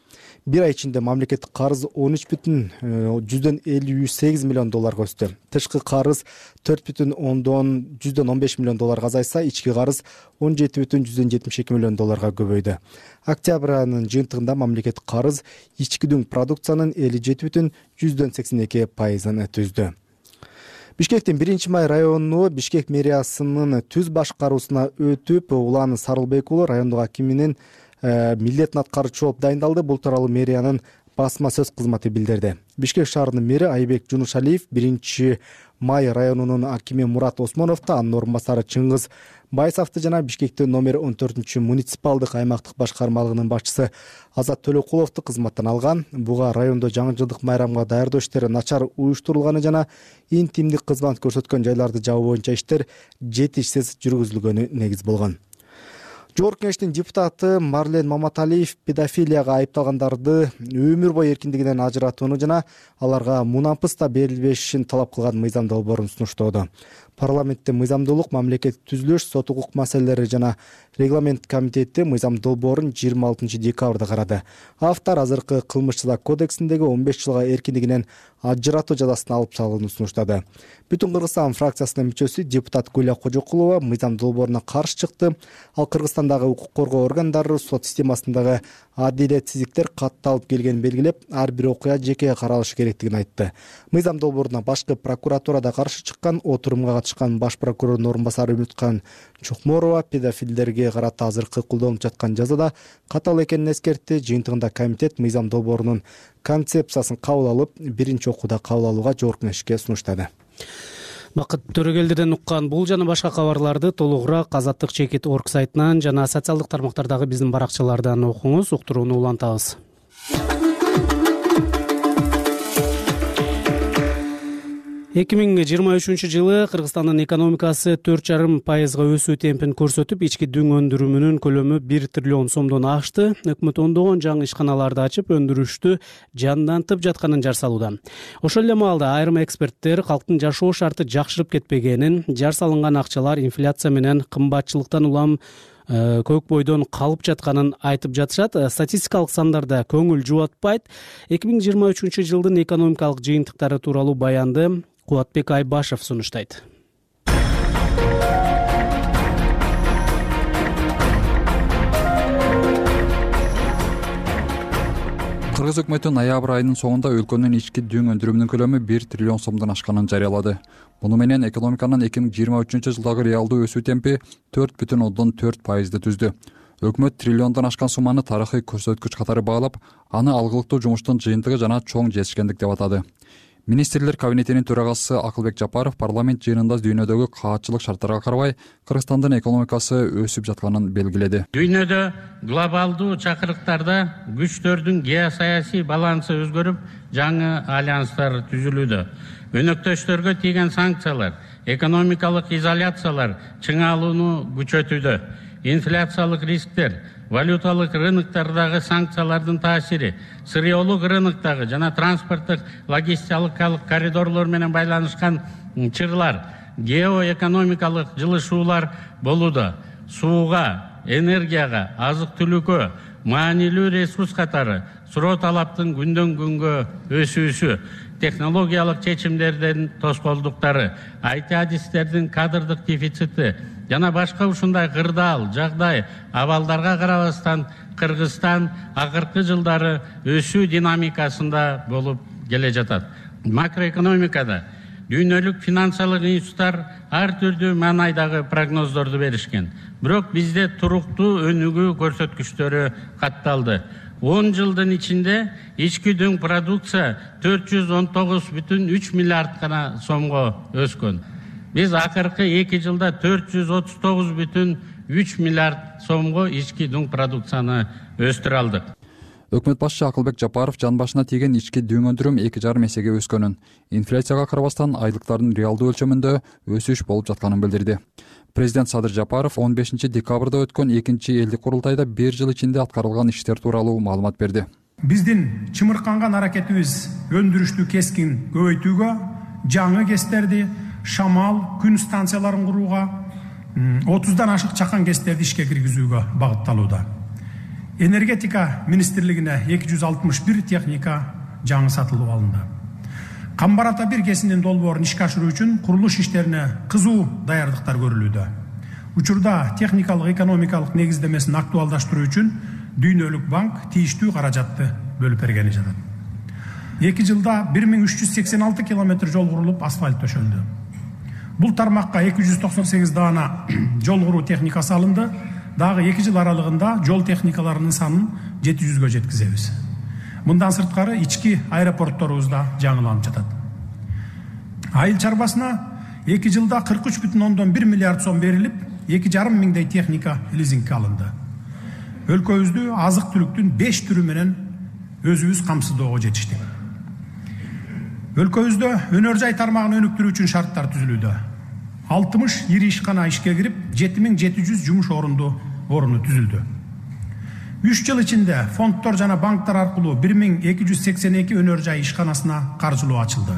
[SPEAKER 6] Bir ай ичинде мамлекеттик карыз 13,58 миллион долларга өстү. Тышкы карыз 4,15 миллион долларга азайса, ички карыз 17,72 миллион долларга көбөйдү. Октябрь айынын жыйынтыгында мамлекеттик карыз ички дүң продукциянын 57,82% түздү. Бишкектин 1-май району Бишкек мэриясынын түз башкаруусуна өтүп, Улан Сарылбек уулу райондук акиминин милдетин аткаруучу болуп дайындалды. Бул тууралуу мэриянын басма сөз кызматы билдирди. Бишкек шаарынын мэри Айбек Жунушалиев 1-май районунун акими Мурат Осмоновду, анын орун басары Чыңгыз Байсовду жана Бишкектин номер 14 муниципалдык аймактык башкармалыгынын башчысы Азат Төлөкуловду кызматтан алган. Буга райондо жаңы жылдык майрамга даярдоо иштери начар уюштурулганы жана интимдик кызмат көрсөткөн жайларды жабуу боюнча иштер жетишсиз жүргүзүлгөнү негиз болгон. Жогорку кеңештин депутаты Марлен Маматалиев педофилияга айыпталгандарды өмүр бою эркиндигинен ажыратууну жана аларга мунапыс да берилбешин талап кылган мыйзам долбоорун сунуштоодо. Парламентте мыйзамдуулук, мамлекеттик түзүлүш, сот укук маселелери жана регламент комитети мыйзам долбоорун 26 декабрда карады. Автор азыркы кылмыш жаза кодексиндеги 15 жылга эркиндигинен ажыратуу жазасын алып салууну сунуштады. Бүтүн Кыргызстан фракциясынын мүчөсү депутат Гүлия Кожокулова мыйзам долбооруна каршы чыкты. Ал Кыргызстандагы укук коргоо органдары сот системасындагы адилетсиздиктер катталып келгенин белгилеп, ар бир окуя жеке каралышы керектигин айтты. Мыйзам долбооруна башкы прокуратурада каршы чыккан, отурумга катышкан баш прокурордун орун басары Үмүткан Чукморова педофилдерге карата азыркы колдонулуп жаткан жазада катаал экенин эскертти. Жыйынтыгында комитет мыйзам долбоорунун концепциясын кабыл алып, биринчи окууда кабыл алууга жогорку кеңешке сунуштады.
[SPEAKER 2] Бакыт Төрөгелдиден уккан бул жана башка кабарларды толугураак Азаттык Чекит орг сайтынан жана социалдык тармактардагы биздин баракчалардан окуңуз. Уктурууну улантабыз. 2023-жылы Кыргызстандын экономикасы 4,5% өсүү темпин көрсөтүп, ички дүң өндүрүмүнүн көлөмү 1 триллион сомдон ашты. Өкмөт ондогон жаңы ишканаларды ачып, өндүрүштү жандантып жатканын жар салууда. Ошол эле маалда айрым эксперттер калктын жашоо шарты жакшырып кетпегенин, жар салынган акчалар инфляция менен кымбатчылыктан улам көк бойдон калып жатканын айтып жатышат. Статистикалык сандарда көңүл жубатпайт. 2023-жылдын экономикалык жыйынтыктары тууралуу баянды Кубатбек Айбашев сунуштайт.
[SPEAKER 3] Кыргыз өкмөтү ноябрь айынын соңунда өлкөнүн ички дүң өндүрүмүнүн көлөмү 1 триллион сомдон ашканын жарыялады. Муну менен экономиканын 2023-жылдагы реалдуу өсүү темпи 4,4% түздү. Өкмөт триллиондон ашкан сумманы тарыхый көрсөткүч катары баалап, аны алгылыктуу жумуштун жыйынтыгы жана чоң жетишкендик деп атады. Министрлер кабинетинин төрагасы Акылбек Жапаров парламент жыйынында дүйнөдөгү каатчылык шарттарга карабай Кыргызстандын экономикасы өсүп жатканын белгиледи.
[SPEAKER 8] Дүйнөдө глобалдуу чакырыктарда күчтөрдүн геосаясий балансы өзгөрүп, жаңы альянстар түзүлүүдө. Өнөктөштөргө тийген санкциялар, экономикалык изоляциялар чыңалууну күчөтүүдө. Инфляциялык рисктер, валюталык рыноктардагы санкциялардын таасири, сырьеолук рыноктогу жана транспорттук логистикалык коридорлор менен байланышкан чырлар, геоэкономикалык жылышуулар болууда. Сууга, энергияга, азык-түлүккө, маанилүү ресурс катары суроо талаптын күндөн күнгө өсүүсү, технологиялык чечимдердин тоскоолдуктары, IT адистердин кадрдык дефицити жана башка ушундай кырдаал жагдай абалдарга карабастан Кыргызстан акыркы жылдары өсүү динамикасында болуп келе жатат. Макроэкономикада дүйнөлүк финансылык институттар ар түрдүү маанайдагы прогноздорду беришкен. Бирок бизде туруктуу өнүгүү көрсөткүчтөрү катталды. 10 жылдын ичинде ички дүң продукция 419,3 миллиард гана сомго өскөн. Биз акыркы 2 жылда 439,3 миллиард сомго ички дүң продукцияны өстүрө алдык.
[SPEAKER 3] Өкмөт башчы Акылбек Жапаров жан башына тийген ички дүң өндүрүм 2,5 эсеге өскөнүн, инфляцияга карабастан айлыктардын реалдуу өлчөмүндө өсүш болуп жатканын билдирди. Президент Садыр Жапаров 15 декабрда өткөн 2 элдик курултайда 1 жыл ичинде аткарылган иштер тууралуу маалымат берди.
[SPEAKER 9] Биздин чымырканган аракетибиз өндүрүштү кескин көбөйтүүгө, жаңы кестерди, шамал, күн станцияларын курууга, 30дан ашык чакан кестерди ишке киргизүүгө багытталууда. Энергетика министрлигине 261 техника жаңы сатылып алынды. Камбар ата 1 кесинин долбоорун ишке ашыруу үчүн курулуш иштерине кызуу даярдыктар көрүлүүдө. Учурда техникалык экономикалык негиздемесин актуалдаштыруу үчүн Дүйнөлүк банк тийиштүү каражатты бөлүп бергени жатат. 2 жылда 1386 километр жол курулуп, асфальт төшөлдү. Бул тармакка 298 даана жол куруу техникасы алынды. Дагы 2 жыл аралыгында жол техникаларынын санын 700гө жеткизебиз. Мындан сырткары ички аэропортторубузда жаңыланып жатат. Айыл чарбасына 2 жылда 43,1 миллиард сом берилип, 2,5 миңдей техника лизингке алынды. Өлкөбүздү азык-түлүктүн 5 түрү менен өзүбүз камсыздоого жетиштик. Өлкөбүздө өнөр жай тармагын өнүктүрүү үчүн шарттар түзүлүүдө. 60 ири ишкана ишке кирип, 7700 жумуш орunu түзүлдү. 3 жыл ичинде фонддор жана банктар аркылуу 1282 өнөр жай ишканасына каржылоо ачылды.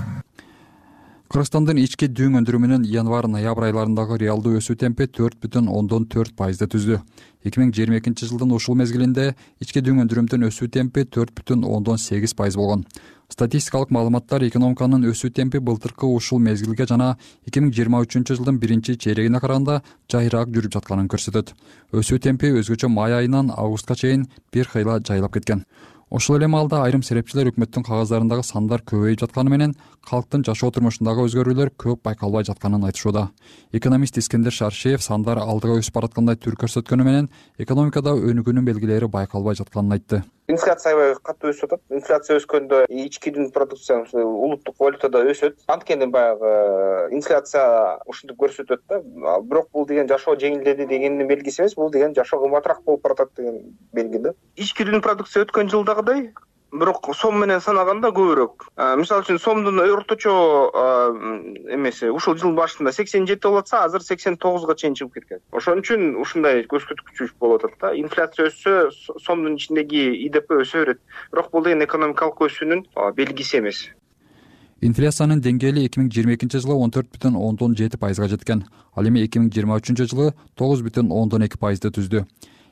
[SPEAKER 3] Кыргызстандын ички дүң өндүрүмүнүн январь-ноябрь айларындагы реалдуу өсүү темпи 4,4% түздү. 2022 жылдын ушул мезгилинде ички дүң өндүрүмдүн өсүү темпи 4,8% болгон. Статистикалык маалыматтар экономиканын өсүү темпи былтыркы ушул мезгилге жана 2023 жылдын 1 чейрегине караганда жайыраак жүрүп жатканын көрсөтөт. Өсүү темпи өзгөчө май айынан августка чейин бир кыйла жайылап кеткен. Ошол эле маалда айрым серепчилер өкмөттүн кагаздарындагы сандар көбөйүп жатканы менен калктын жашоо турмушундагы өзгөрүүлөр көп байкалбай жатканын айтышууда. Экономист Искендер Шаршеев сандар алдыга өсүп бараткандай түр көрсөткөнү менен экономикада өнүгүүнүн белгилери байкалбай жатканын айтты.
[SPEAKER 10] Инфляция аябай катуу өсүп атат. Инфляция өскөндө ички дүң продукция улуттук валютада өсөт. Анткени баягы инфляция ушинтип көрсөтөт да. Бирок бул деген жашоо жеңилдеди дегендин белгиси эмес, бул деген жашоо кымбатыраак болуп баратат деген белги да. Ички дүң продукция өткөн жылдагыдай, бирок сом менен санаганда көбүрөөк. Мисалы үчүн сомдун орточо эмеси ушул жыл башында 87 болуп атса, азыр 89га чейин чыгып кеткен. Ошон үчүн ушундай көрсөткүч болуп атат да. Инфляция өссө, сомдун ичиндеги ИДП өсө берет. Бирок бул деген экономикалык өсүүнүн белгиси эмес.
[SPEAKER 3] Инфляциянын деңгээли 2022 жылы 14,7%га жеткен. Ал эми 2023 жылы 9,2%ды түздү.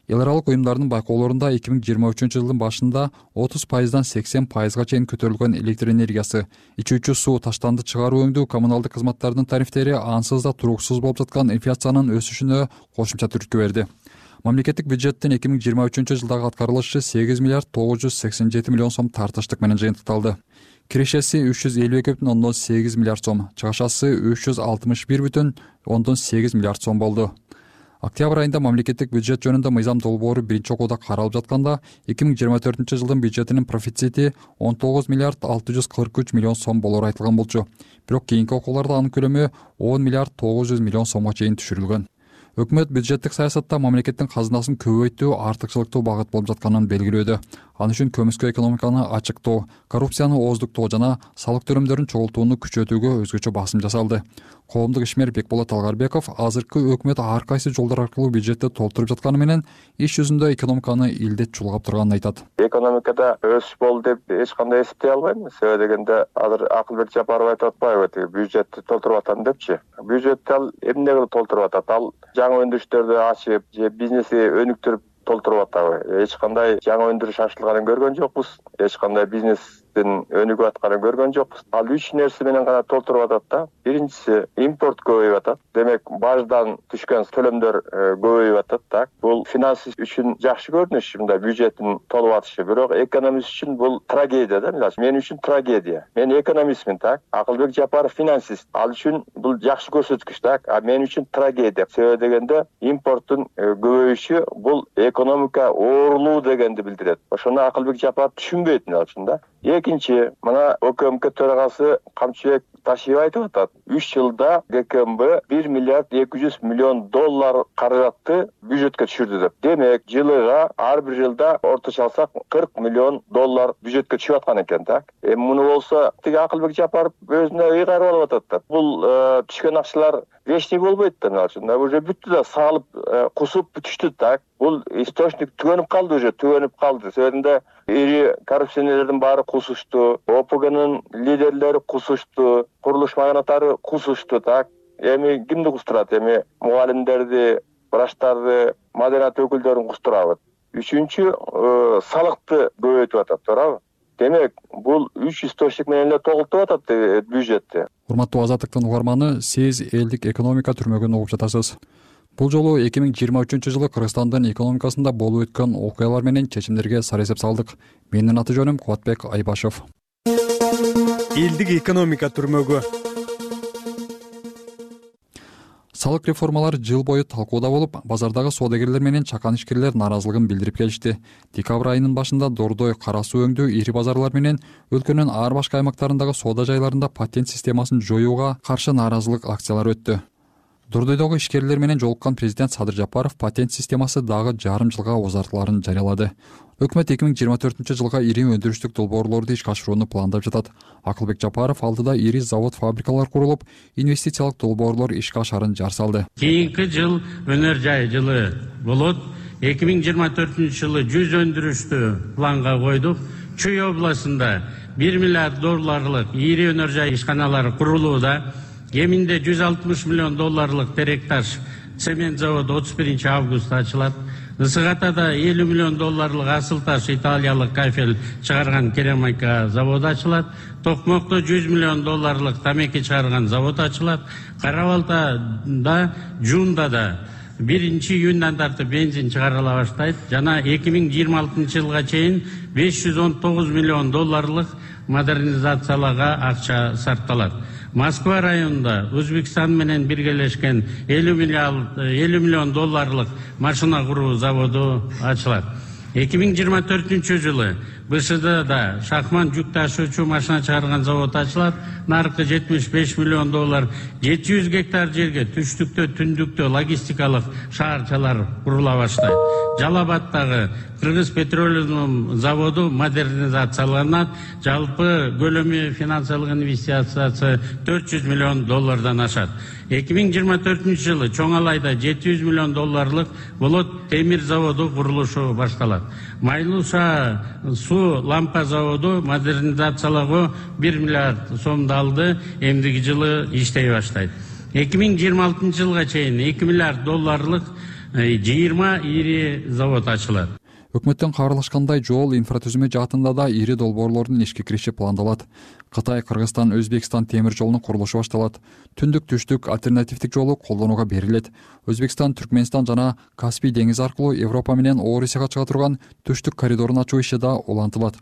[SPEAKER 3] Эл аралык уюмдардын байкоолорунда 2023 жылдын башында 30%дан 80%га чейин көтөрүлгөн электр энергиясы, ичүүчү суу, таштанды чыгаруу өңдүү, коммуналдык кызматтардын тарифтери ансыз да туруксуз болуп жаткан инфляциянын өсүшүнө кошумча түрткү берди. Мамлекеттик бюджеттин 2023 жылдагы аткарылышы 8 миллиард 987 миллион сом тартыштык менен жыйынтыкталды. Кирешеси 352,8 миллиард сом, чыгашасы 361,8 миллиард сом болду. Октябрь айында мамлекеттик бюджет жөнүндө мыйзам долбоору биринчи окууда каралып жатканда 2024 жылдын бюджетинин профицити 19 миллиард 643 миллион сом болору айтылган болчу. Бирок кийинки окууларда анын көлөмү 10 миллиард 900 миллион сомго чейин түшүрүлгөн. Өкмөт бюджеттик саясатта мамлекеттин казынасын көбөйтүү артыкчылыктуу багыт болуп жатканын белгилөөдө. Ал үчүн көмүскө экономиканы ачыктоо, коррупцияны ооздуктоо жана салык төлөмдөрүн чогултууну күчөтүүгө өзгөчө басым жасалды. Коомдук ишмер Бекболот Алгарбеков азыркы өкмөт ар кайсы жолдор аркылуу бюджетти толтуруп жатканы менен иш жүзүндө экономиканы илдет чулгап турганын айтат.
[SPEAKER 23] Экономикада өсүш болду деп эч кандай эсептей албайм. Себеби дегенде азыр Акылбек Жапаров айтып атпайбы, бюджетти толтуруп атам депчи. Бюджетти ал эмне кылып толтуруп атат? Ал жаңы өндүрүштөрдү ачып, же бизнеси өнүктүрүп толтуруп атабы? Эч кандай жаңы өндүрүш ачылганын көргөн жокпуз. Эч кандай бизнестин өнүгүп атканын көргөн жокпуз. Ал 3 нерсе менен гана толтуруп атат да. Биринчиси импорт көбөйүп атат. Демек баждан түшкөн төлөмдөр көбөйүп атат, так. Бул финансист үчүн жакшы көрүнүш, мындай бюджеттин толуп атышы. Бирок экономист үчүн бул трагедия да. Мен үчүн трагедия. Мен экономистмин, так. Акылбек Жапаров финансист. Ал үчүн бул жакшы көрсөткүч, так. А мен үчүн трагедия. Себеби дегенде импорттун көбөйүшү бул экономика оорулуу дегенди билдирет. Ошону Акылбек Жапаров түшүнбөйт чында. Экинчи, мына ОКМК төрагасы Камчыбек Ташиев айтып атат. 3 жылда ГКМБ 1 миллиард 200 миллион доллар каражатты бюджетке түшүрдү деп. Демек, жылыга ар бир жылда орточо алсак 40 миллион доллар бюджетке түшүп аткан экен, так. Муну болсо тиги Акылбек Жапаров өзүнө ыйгарып алып атат да. Бул түшкөн акчалар вечный болбойт да, мына уже бүттү да, салып, кусуп түштү, так. Бул источник түгөнүп калды уже, Себебинде ири коррупционерлердин баары кусушту, ОПГнын лидерлери кусушту, курулуш магнаттары кусушту, так. Эми кимди кустурат? Эми мугалимдерди, врачтарды, маданият өкүлдөрүн кустурабы? Үчүнчү, салыкты көбөйтүп атат, туурабы? Демек, бул 3 источник менен эле толтуруп атат бюджетти.
[SPEAKER 3] Урматтуу Азаттыктын угарманы, сиз элдик экономика түрмөгүн угуп жатасыз. Бул жолу 2023 жылы Кыргызстандын экономикасында болуп өткөн окуялар менен чечимдерге сар эсеп салдык. Менин аты жөнүм Кубатбек Айбашев.
[SPEAKER 2] Элдик экономика түрмөгү.
[SPEAKER 3] Салык реформалары жыл бою талкууда болуп, базардагы соодагерлер менен чакан ишкерлер нааразылыгын билдирип келишти. Декабрь айынын башында Дордой, Кара суу өңдүү ири базарлар менен өлкөнүн ар башка аймактарындагы соода жайларында патент системасын жоюуга каршы нааразылык акциялары өттү. Дордойдогу ишкерлер менен жолуккан президент Садыр Жапаров патент системасы дагы жарым жылга узартыларын жарыялады. Өкмөт 2024 жылга ири өндүрүштүк долбоорлорду ишке ашырууну пландап жатат. Акылбек Жапаров алдыда ири завод-фабрикалар курулуп, инвестициялык долбоорлор ишке ашарын жар салды.
[SPEAKER 8] Кийинки жыл өнөр жай жылы болот. 2024 жылы 100 өндүрүштү планга койдук. Чүй областында 1 миллиард долларлык ири өнөр жай ишканалары курулууда. Кеминде 160 миллион долларлык Теректаш цемент заводу 31 августта ачылат. Ысыгатада 50 миллион долларлык асыл таш италиялык кафель чыгарган керамика заводу ачылат. Токмокто 100 миллион долларлык тамеки чыгарган завод ачылат. Кара Балтада, Жундада июндан тартып бензин чыгарыла баштайт жана 2026 жылга чейин $519 миллион модернизацияларга акча сарпталат. Москва районунда Өзбекстан менен биргелешкен $50 миллион машина куруу заводу ачылат. 2024 жылы БШДда Шахман жүк ташуучу машина чыгарган завод ачылат. Наркы $75 миллион, 700 гектар жерге түштүктө, түндүктө логистикалык шаарчалар курула баштайт. Жалабаттагы Кыргыз петролиум заводу модернизацияланат. Жалпы көлөмү финансылык инвестициясы $400 миллион ашат. 2024 жылы Чоңалайда $700 миллион болот темир заводу курулушу башталат. Майлуша суу лампа заводу модернизациялоого $1 миллиард алды, эмдиги жылы иштей баштайт. 2026 жылга чейин $2 миллиард 20 ири завод ачылат.
[SPEAKER 3] Өкмөттөн кабарлашкандай, жол инфратүзүмө жаатында да ири долбоорлордун ишке кириши пландалат. Кытай, Кыргызстан, Өзбекстан темир жолунун курулушу башталат. Түндүк-түштүк альтернативдик жолу колдонууга берилет. Өзбекстан, Түркмөнстан жана Каспий деңизи аркылуу Европа менен Орусияга чыга турган түштүк коридорун ачуу иши да улантылат.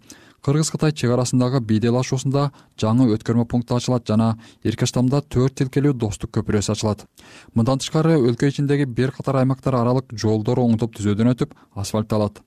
[SPEAKER 3] Кыргыз-Кытай чек арасындагы бийделашуусунда жаңы өткөрмө пункты ачылат жана Эркаштамда 4 тилкелүү достук көпүрөсү ачылат. Мындан тышкары өлкө ичиндеги бир катар аймактар аралык жолдор оңдоп түзөөдөн өтүп, асфальтталат.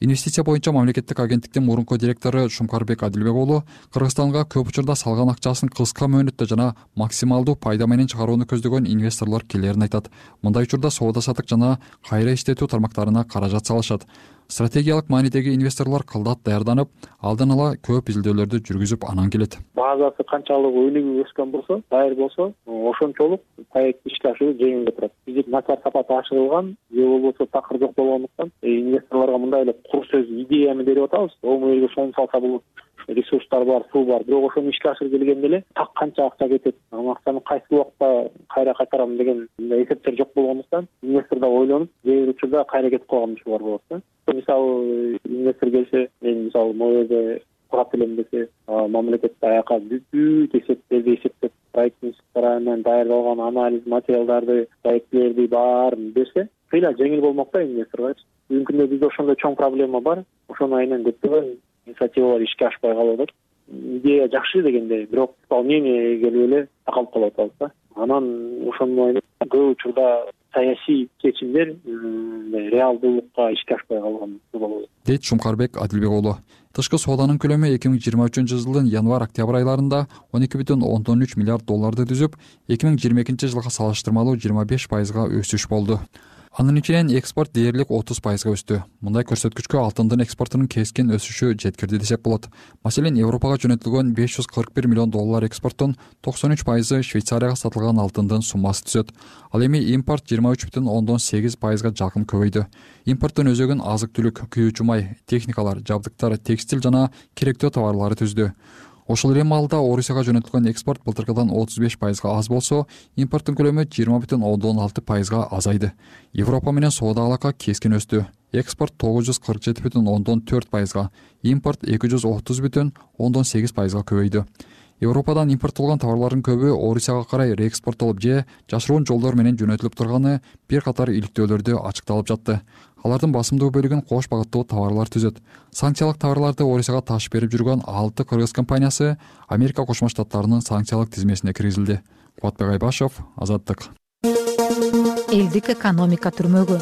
[SPEAKER 3] Инвестиция боюнча мамлекеттик агенттиктин мурунку директору Шумкарбек Адилбек уулу Кыргызстанга көп учурда салган акчасын кыска мөөнөттө жана максималдуу пайда менен чыгарууну көздөгөн инвесторлор келерин айтат. Мындай учурда соода-саттык жана кайра иштетүү тармактарына каражат салышат. Стратегиялык маанидеги инвесторлор кылдат даярданып, алдын ала көп изилдөөлөрдү жүргүзүп анан келет.
[SPEAKER 11] Базасы канчалык өнүгүп өскөн болсо, дайыр болсо, ошончолук проект ишке ашыруу жеңил турат. Бизде начар сапаты ашырылган, же болбосо такыр жок болгондуктан инвесторлорго мындай эле кур сөз идеяны берип атабыз. Оң элге шону салса болот. Ресурстар бар, суу бар. Бирок ошону ишке ашырып келгенде эле так канча акча кетет, акчаны кайсы убакта кайра кайтарам деген эсептер жок болгондуктан инвестор да ойлонуп, кээ бир учурда кайра кетип калган учурлар болот да. Мисалы, инвестор келсе, мен мисалы могу жерде курат элем десе, мамлекет аяка бүт эсептерди эсептеп, проекттин менен даярдалган анализ материалдарды, проектлерди баарын берсе, кыйла жеңил болмок да инвесторго. Бүгүнкү күндө бизде ошондой чоң проблема бар. Ошону айынан көптөгөн инициативалар ишке ашпай калып атат. Идея жакшы дегенде, бирок исполнение келип эле такалып калып атабыз да. Анан ошону көп учурда саясий чечимдер реалдуулукка ишке ашпай калган болот,
[SPEAKER 3] дейт Шумкарбек Адилбек уулу. Тышкы сооданын көлөмү 2023 жылдын январь-октябрь айларында $12,3 миллиард түзүп, 2022 жылга салыштырмалуу 25% өсүш болду. Анын ичинен экспорт дээрлик 30% өстү. Мындай көрсөткүчкө алтындын экспортунун кескин өсүшү жеткирди десек болот. Маселен, Европага жөнөтүлгөн $541 миллион экспорттун 93% Швейцарияга сатылган алтындын суммасы түзөт. Ал эми импорт 23,8%га жакын көбөйдү. Импорттун өзөгүн азык-түлүк, күйүүчү май, техникалар, жабдыктар, текстиль жана керектүү товарлары түздү. Ошол эле маалда Орусияга жөнөтүлгөн экспорт былтыркыдан 35%га аз болсо, импорттун көлөмү 20,6%га азайды. Европа менен соода алака кескин өстү. Экспорт 947,4%га, импорт 230,8%га көбөйдү. Европадан импорттолгон товарлардын көбү Орусияга карай реэкспорттолуп же жашыруун жолдор менен жөнөтүлүп турганы бир катар иликтөөлөрдө ачыкталып жатты. Алардын басымдуу бөлүгүн кош багыттуу товарлар түзөт. Санкциялык товарларды Орусияга ташып берип жүргөн 6 кыргыз компаниясы Америка Кошмо Штаттарынын санкциялык тизмесине киргизилди. Кубатбек Айбашев, Азаттык.
[SPEAKER 13] Элдик экономика түрмөгү.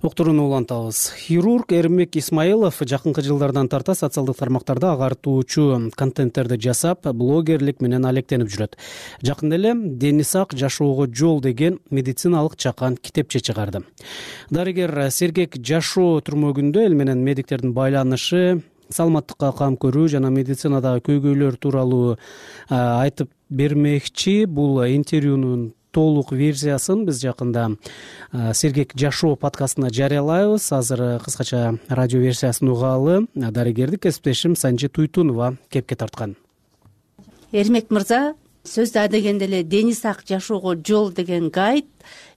[SPEAKER 2] Уктурууну улантабыз. Хирург Эрмек Исмаилов жакынкы жылдардан тарта социалдык тармактарда агартуучу контенттерди жасап, блогерлик менен алектенип жүрөт. Жакында эле Дени сак жашоого жол деген медициналык чакан китепче чыгарды. Дарыгер Сергек жашоо түрмөгүндө эл менен медиктердин байланышы, саламаттыкка кам көрүү жана медицинадагы көйгөйлөр тууралуу айтып бермекчи. Бул интервьюнун толук версиясын биз жакында Сергек жашоо подкастына жарыялайбыз. Азыр кыскача радио версиясын угалы. Дарыгерди кесиптешим Санжи Туйтунова кепке тарткан.
[SPEAKER 14] Эрмек мырза, сөздү адегенде эле Дени сак жашоого жол деген гайд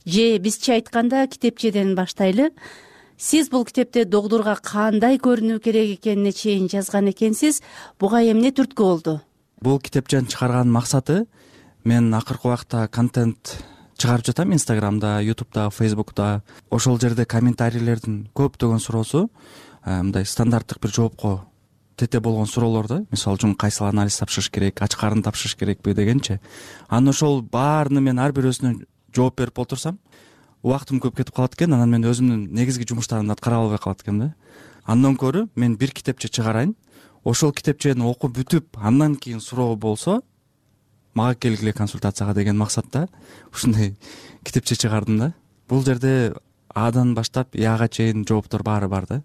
[SPEAKER 14] же бизче айтканда китепчеден баштайлы. Сиз бул китепте догдурга кандай көрүнүү керек экенине чейин жазган экенсиз. Буга эмне түрткү болду?
[SPEAKER 15] Бул китепчени чыгарганын максаты мен акыркы убакта контент
[SPEAKER 12] чыгарып жатам Instagramда, YouTubeда, Facebook'та. Ошол жерде комментарийлердин көптөгөн суроосу мындай стандарттык бир жоопко тете болгон суроолор да. Мисалы үчүн кайсыл анализ тапшырыш керек, ач карын тапшырыш керекпи дегенчи. Анан ошол баарына мен ар бирөөсүнө жооп берип отурсам, убактым көп кетип калат экен. Анан мен өзүмдүн негизги жумуштарымды аткара албай калат экенм да. Андан көрө мен бир китепче чыгарайын, ошол китепчени окуп бүтүп, андан кийин суроо болсо мага келгиле консультацияга деген максатта ушундай китепче чыгардым да. Бул жерде Адан баштап Яга чейин жооптор баары бар да.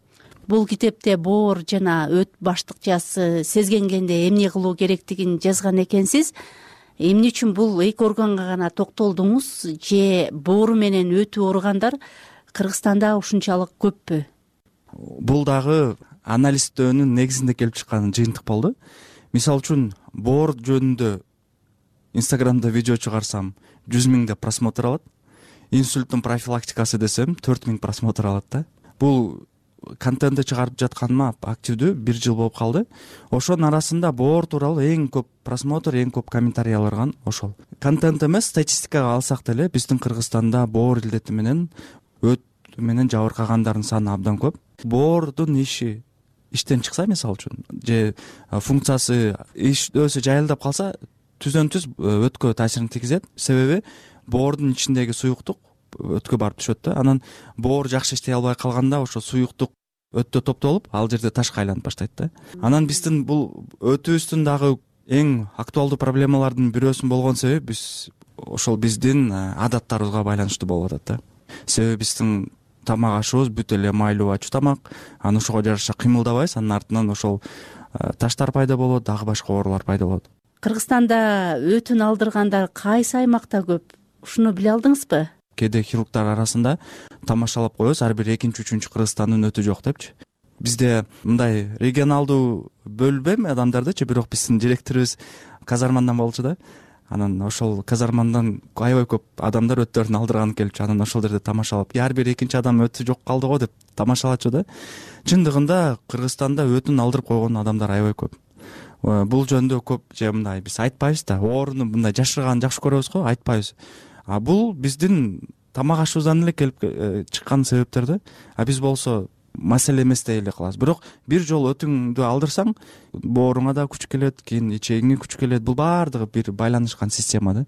[SPEAKER 14] Бул китепте боор жана өт баштыкчасы сезгенгенде эмне кылуу керектигин жазган экенсиз. Эмне үчүн бул эки органга гана токтолдуңуз же боору менен өтү ооругандар Кыргызстанда ушунчалык көппү?
[SPEAKER 12] Бул дагы анализдөөнүн негизинде келип чыккан жыйынтык болду. Мисалы үчүн боор жөнүндө Instagramда видео чыгарсам 100 000 просмотр алат. Инсульттун профилактикасы десем 4 000 просмотр алат да. Бул контентти чыгарып жатканыма активдүү 1 жыл болуп калды. Ошонун арасында боор тууралуу эң көп просмотр, эң көп комментарий алган ошол. Контент эмес, статистикага алсак деле биздин Кыргызстанда боор илдети менен өт менен жабыркагандардын саны абдан көп. Боордун иштен чыкса, мисалы үчүн, же функциясы өсү жайылдап калса, түздөн түз өткө таасирин тийгизет. Себеби боордун ичиндеги суюктук өткө барып түшөт да. Анан боор жакшы иштей албай калганда ошо суюктук өттө топтолуп, ал жерде ташка айланып баштайт да. Анан биздин бул өтүбүздүн дагы эң актуалдуу проблемалардын бирөөсүн болгон себеби биз ошол биздин адаттарыбызга байланыштуу болуп атат да. Себеби биздин тамак ашыбыз бүт эле майлуу ачуу тамак, анан ошого жараша кыймылдабайбыз, анын артынан ошол таштар пайда болот, дагы башка оорулар пайда болот.
[SPEAKER 14] Кыргызстанда өтүн алдыргандар кайсы аймакта көп? Ушуну биле алдыңызбы?
[SPEAKER 12] Кээде хирургдар арасында тамашалап коебуз, ар бир экинчи, үчүнчү Кыргызстандын өтү жок депчи. Бизде мындай регионалдуу бөлүнбөйм адамдардычы, бирок биздин директорубуз казармандан болчу да. Анан ошол казармандан аябай көп адамдар өттөрүн алдырганы келчү. Анан ошол жерде тамашалап, ар бир экинчи адам өтү жок калды го деп тамашалачу да. Чындыгында Кыргызстанда өтүн алдырып койгон адамдар аябай көп. Бул жөндө көп же мындай биз айтпайбыз да, ооруну мындай жашырганды жакшы көрөбүз го, айтпайбыз. Бул биздин тамак ашыбыздан эле келип чыккан себептер да. Биз болсо маселе эмес дей эле калабыз. Бирок бир жолу өтүңдү алдырсаң, бооруңа да күч келет, кийин ичегиңе күч келет. Бул баардыгы бир байланышкан система да.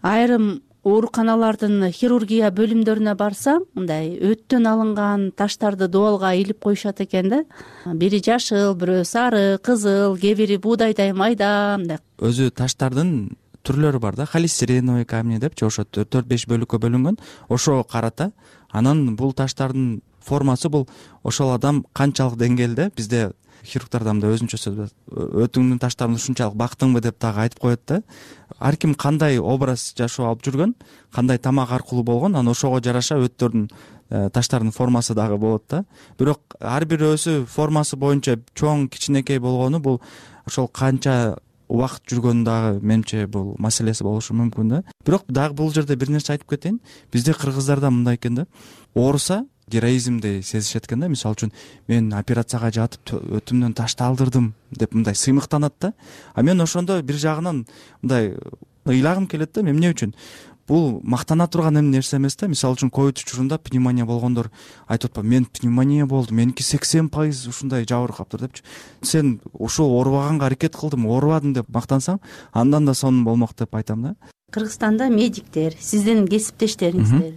[SPEAKER 14] Айрым ооруканалардын хирургия бөлүмдөрүнө барсаң, мындай өттөн алынган таштарды дуалга илип коюшат экен да. Бири жашыл, бирөө сары, кызыл, кээ бири буудайдай майда мындай.
[SPEAKER 12] Өзү таштардын түрлөрү бар да. Холестериновый камни депчи, ошо 4-5 бөлүккө бөлүнгөн. Ошого карата. Анан бул таштардын формасы бул ошол адам канчалык деңгээлде, бизде хирургдарда мындай өзүнчө сөз, өтүңдүн таштарын ушунчалык бактыңбы деп дагы айтып коет да. Ар ким кандай образ жашоо алып жүргөн, кандай тамак аркылуу болгон, анан ошого жараша өттөрдүн таштардын формасы дагы болот да. Бирок ар бирөөсү формасы боюнча чоң, кичинекей болгону бул ошол канча убакыт жүргөнү дагы менимче бул маселеси болушу мүмкүн да. Бирок дагы бул жерде бир нерсе айтып кетейин. Бизде кыргыздарда мындай экен да. Ооруса героизмди сезишет экен да. Мисалы үчүн мен операцияга жатып өтүмдөн ташты алдырдым деп мындай сыймыктанат да. Мен ошондо бир жагынан мындай ыйлагым келет да. Эмне үчүн? Бул мактана турган нерсе эмес да. Мисалы үчүн ковид учурунда пневмония болгондор айтып атпайбы, мен пневмония болду, меники 80% ушундай жабыркаптыр депчи. Сен ушул оорубаганга аракет кылдым, оорубадым деп мактансаң, андан да сонун болмок деп айтам да.
[SPEAKER 14] Кыргызстанда медиктер, сиздин кесиптештериңиздер,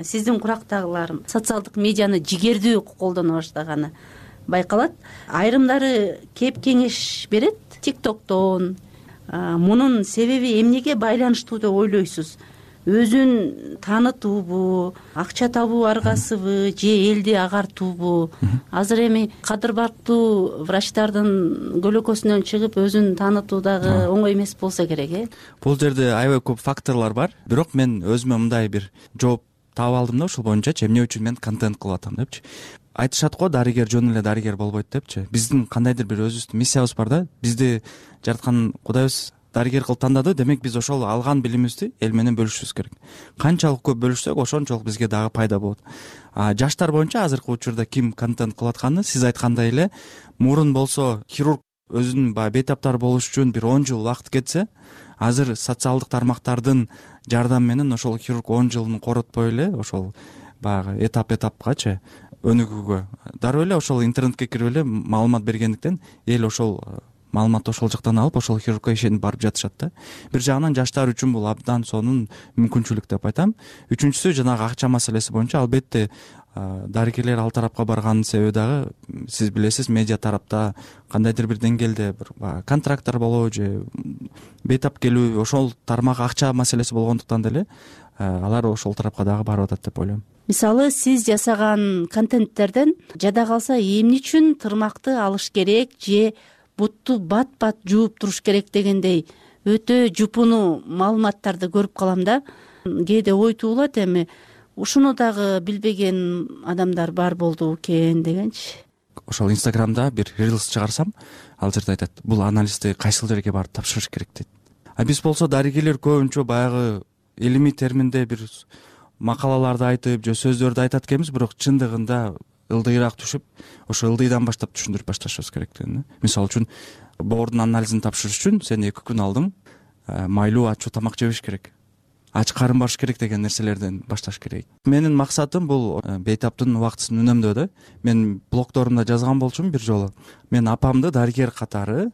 [SPEAKER 14] сиздин курактагылар социалдык медианы жигердүү колдоно баштаганы байкалат. Айрымдары кеп кеңеш берет TikToктон. Мунун себеби эмнеге байланыштуу деп ойлойсуз? Өзүн таанытуубу, акча табуу аргасыбы, же элди агартуубу? Азыр эми кадыр барктуу врачтардын көлөкөсүнөн чыгып өзүн таанытуу дагы оңой эмес болсо керек,
[SPEAKER 12] Бул жерде аябай көп факторлор бар. Бирок мен өзүмө мындай бир жооп таап алдым да, ошол боюнча эмне үчүн мен контент кылып атам депчи. Айтышат го, дарыгер жөн эле дарыгер болбойт депчи. Биздин кандайдыр бир өзүбүздүн миссиябыз бар да. Бизди жараткан Кудайыбыз дарыгер кылып тандады, демек биз ошол алган билимибизди эл менен бөлүшүбүз керек. Канчалык көп бөлүшсөк, ошончолук бизге дагы пайда болот. Жаштар боюнча азыркы учурда ким контент кылып атканы, сиз айткандай эле, мурун болсо хирург өзүнүн бейтаптар болуш үчүн бир 10 жыл убакыт кетсе, азыр социалдык тармактардын жардам менен ошол хирург 10 жылын коротпой эле ошол баягы этапкачы өнүгүүгө дароо эле ошол интернетке кирип эле маалымат бергендиктен эл ошол маалыматты ошол жактан алып ошол хирургка ишенип барып жатышат да. Бир жагынан жаштар үчүн бул абдан сонун мүмкүнчүлүк деп айтам. Үчүнчүсү жанагы акча маселеси боюнча албетте дарыгерлер ал тарапка барганын себеби дагы сиз билесиз, медиа тарапта кандайдыр бир деңгээлде бир контракттар болобу же бейтап келүү ошол тармак акча маселеси болгондуктан деле алар ошол тарапка дагы барып атат деп ойлойм.
[SPEAKER 14] Мисалы сиз жасаган контенттерден жада калса эмне үчүн тырмакты алыш керек же бутту бат жууп туруш керек дегендей өтө жупуну маалыматтарды көрүп калам да. Кээде ой туулат, эми ушуну дагы билбеген адамдар бар болду экен дегенчи.
[SPEAKER 12] Ошол инстаграмда бир рилс чыгарсам, ал жерде айтат, бул анализди кайсыл жерге барып тапшырыш керек дейт. Биз болсо дарыгерлер көбүнчө баягы илимий терминде бир макалаларды айтып же сөздөрдү айтат экенбиз, бирок чындыгында ылдыйраак түшүп, ошо ылдыйдан баштап түшүндүрүп башташыбыз керектигин. Мисалы үчүн боордун анализин тапшырыш үчүн сен 2 күн алдың майлуу ачуу тамак жебеш керек, ач карын барыш керек деген нерселерден башташ керек. Менин максатым бул бейтаптын убактысын үнөмдөө да. Мен блогдорумда жазган болчумун бир жолу. Мен апамды дарыгер катары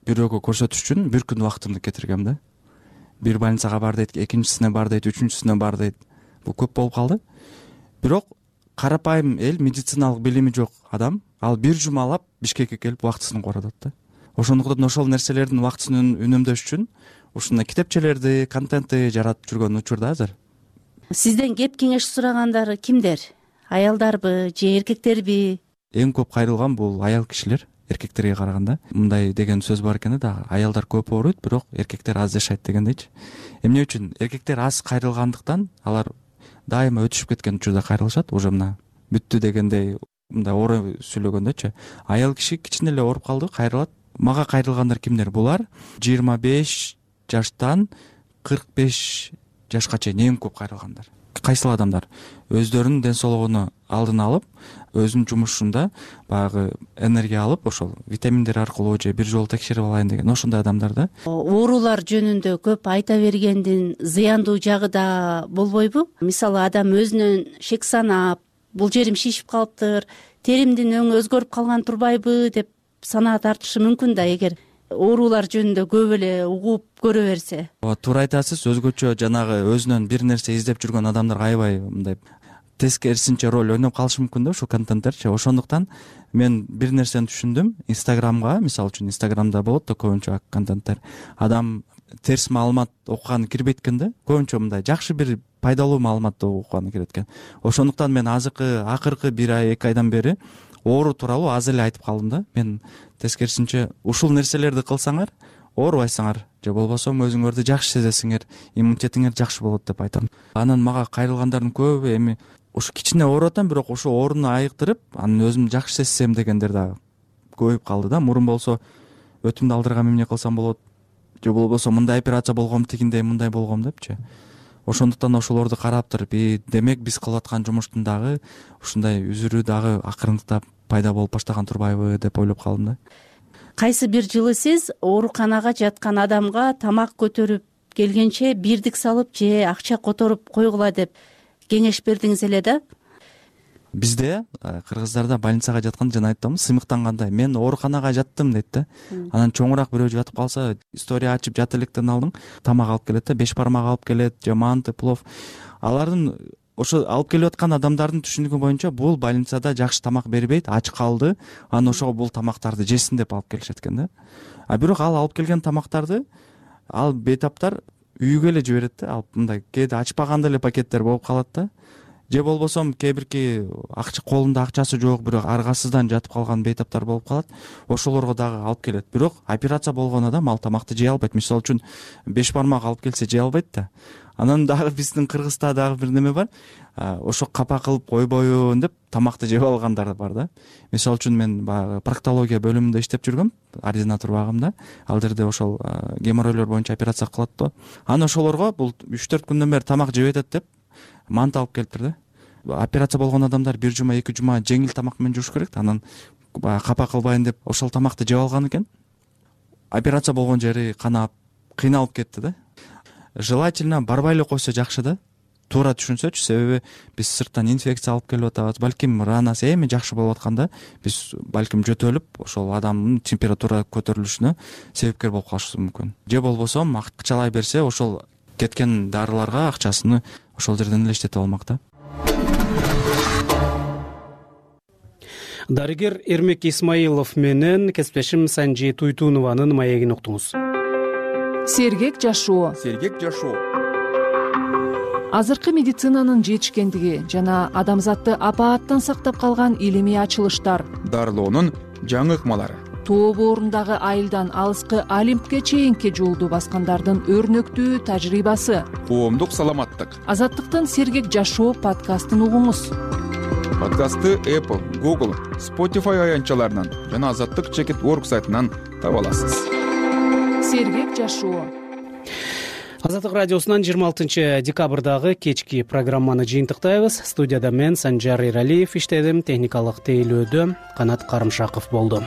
[SPEAKER 12] бирөөгө көрсөтүш үчүн 1 күн убактымды кетиргем да. Бир больницага бар дейт, экинчисине бар дейт, үчүнчүсүнө бар дейт. Бул көп болуп калды. Бирок карапайым эл, медициналык билими жок адам, ал 1 жумалап Бишкекке келип убактысын коротот да. Ошондуктан ошол нерселердин убактысын үнөмдөш үчүн ушундай китепчелерди, контентти жаратып жүргөн учурда азыр.
[SPEAKER 14] Сизден кеп кеңеш сурагандар кимдер? Аялдарбы же эркектерби?
[SPEAKER 12] Эң көп кайрылган бул аял кишилер, эркектерге караганда. Мындай деген сөз бар экен да, аялдар көп ооруйт, бирок эркектер аз жашайт дегендейчи. Эмне үчүн? Эркектер аз кайрылгандыктан алар дайыма өтүшүп кеткен учурда кайрылышат, уже мына бүттү дегендей мындай оор сүйлөгөндөчү. Аял киши кичине эле ооруп калды, кайрылат. Мага кайрылгандар кимдер? Булар 25 жаштан 45 жашка чейин эң көп кайрылгандар. Кайсыл адамдар өздөрүнүн ден соолугуну алдын алып, өзүнүн жумушунда баягы энергия алып, ошол витаминдер аркылуу же бир жолу текшерип алайын деген ошондой адамдар да.
[SPEAKER 14] Оорулар жөнүндө көп айта бергендин зыяндуу жагы да болбойбу? Мисалы адам өзүнөн шек санап, бул жерим шишип калыптыр, теримдин өңү өзгөрүп калган турбайбы деп санаа тартышы мүмкүн да, эгер оорулар жөнүндө көп эле угуп көрө берсе.
[SPEAKER 12] Туура айтасыз, өзгөчө жанагы өзүнөн бир нерсе издеп жүргөн адамдар аябай мындай тескерисинче роль ойноп калышы мүмкүн да ушул контенттерчи. Ошондуктан мен бир нерсени түшүндүм. Инстаграмга, мисалы үчүн Инстаграмда болот да көбүнчө контенттер. Адам терс маалымат окуганы кирбейт экен да. Көбүнчө мындай жакшы бир пайдалуу маалыматты окуганы кирет экен. Ошондуктан мен акыркы 1 ай 2 айдан бери оору тууралуу аз эле айтып калдым да. Мен тескерисинче ушул нерселерди кылсаңар оорубайсыңар же болбосо өзүңөрдү жакшы сезесиңер, иммунитетиңер жакшы болот деп айтам. Анан мага кайрылгандардын көбү эми ушу кичине ооруп атам, бирок ошо ооруну айыктырып, анан өзүм жакшы сезсем дегендер дагы көбөйүп калды да. Мурун болсо өтүмдү алдыргам эмне кылсам болот же болбосо мындай операция болгом, тигиндей мындай болгом депчи. Ошондуктан ошолорду карап туруп, демек биз кылып аткан жумуштун дагы ушундай үзүрү дагы акырындап пайда болуп баштаган турбайбы деп ойлоп калдым да.
[SPEAKER 14] Кайсы бир жылы сиз ооруканага жаткан адамга тамак көтөрүп келгенче бирдик салып же акча которуп койгула деп кеңеш бердиңиз эле да?
[SPEAKER 12] Бизде кыргыздарда больницага жатканда жана айттым, сыймыктангандай мен ооруканага жаттым дейт да. Анан чоңураак бирөө жатып калса, история ачып жат электен алдың, тамак алып келет да, 5 бармак алып келет, же манты, плов. Алардын ошо алып келип аткан адамдардын түшүнүгү боюнча бул больницада жакшы тамак бербейт, ач калды, анан ошого бул тамактарды жесин деп алып келишет экен да. Бирок ал алып келген тамактарды ал бейтаптар үйгө эле жиберет да. Алып мындай кээде ачпаганда эле пакеттер болуп калат да. Же болбосо кээ акча колунда акчасы жок, бирок аргасыздан жатып калган бейтаптар болуп калат. Ошолорго дагы алып келет. Бирок операция болгон адам ал тамакты жей албайт. Мисалы үчүн 5 бармак алып келсе жей албайт да. Анан дагы биздин Кыргызда дагы бир неме бар. Ошо капа кылып койбоюн деп тамакты жеп алгандар бар да. Мисалы үчүн мен баягы проктология бөлүмүндө иштеп жүргөм, ординатор багымда. Ал жерде ошол геморройлор боюнча операция кылат да. Анан ошолорго бул 3-4 күндөн бери тамак жеп атат деп мант алып келиптир да. Операция болгон адамдар 1 жума 2 жума жеңил тамак менен журуш керек. Анан капа кылбайын деп ошол тамакты жеп алган экен. Операция болгон жери канап, кыйналып кетти да. желательно барбай эле койсо жакшы да, туура түшүнсөчү. Себеби биз сырттан инфекция алып келип атабыз, балким ранасы эми жакшы болуп атканда биз балким жөтөлүп ошол адамдын температура көтөрүлүшүнө себепкер болуп калышыбыз мүмкүн. Же болбосо акчалай берсе ошол кеткен дарыларга акчасыны ошол жерден эле иштетип алмак да.
[SPEAKER 2] Дарыгер Эрмек Исмаилов менен кесиптешим Санжи Туйтунованын маегин уктуңуз.
[SPEAKER 15] Сергек жашоо.
[SPEAKER 16] Сергек жашоо.
[SPEAKER 15] Азыркы медицинанын жетишкендиги жана адамзатты апааттан сактап калган илимий ачылыштар,
[SPEAKER 16] дарылоонун жаңы ыкмалары,
[SPEAKER 15] тоо боорундагы айылдан алыскы Олимпке чейинки жолду баскандардын өрнөктүү тажрыйбасы,
[SPEAKER 16] коомдук саламаттык.
[SPEAKER 15] Азаттыктын Сергек жашоо подкастын угуңуз.
[SPEAKER 16] Подкастты Apple, Google, Spotify аянтчаларынан жана Азаттык.org сайтынан таба аласыз.
[SPEAKER 15] Сергек жашоо.
[SPEAKER 2] Азаттык радиосунан 26 декабрдагы кечки программаны жыйынтыктайбыз. Студияда мен Санжар Эралиев иштедим, техникалык тейлөөдө Канат Карымшаков болду.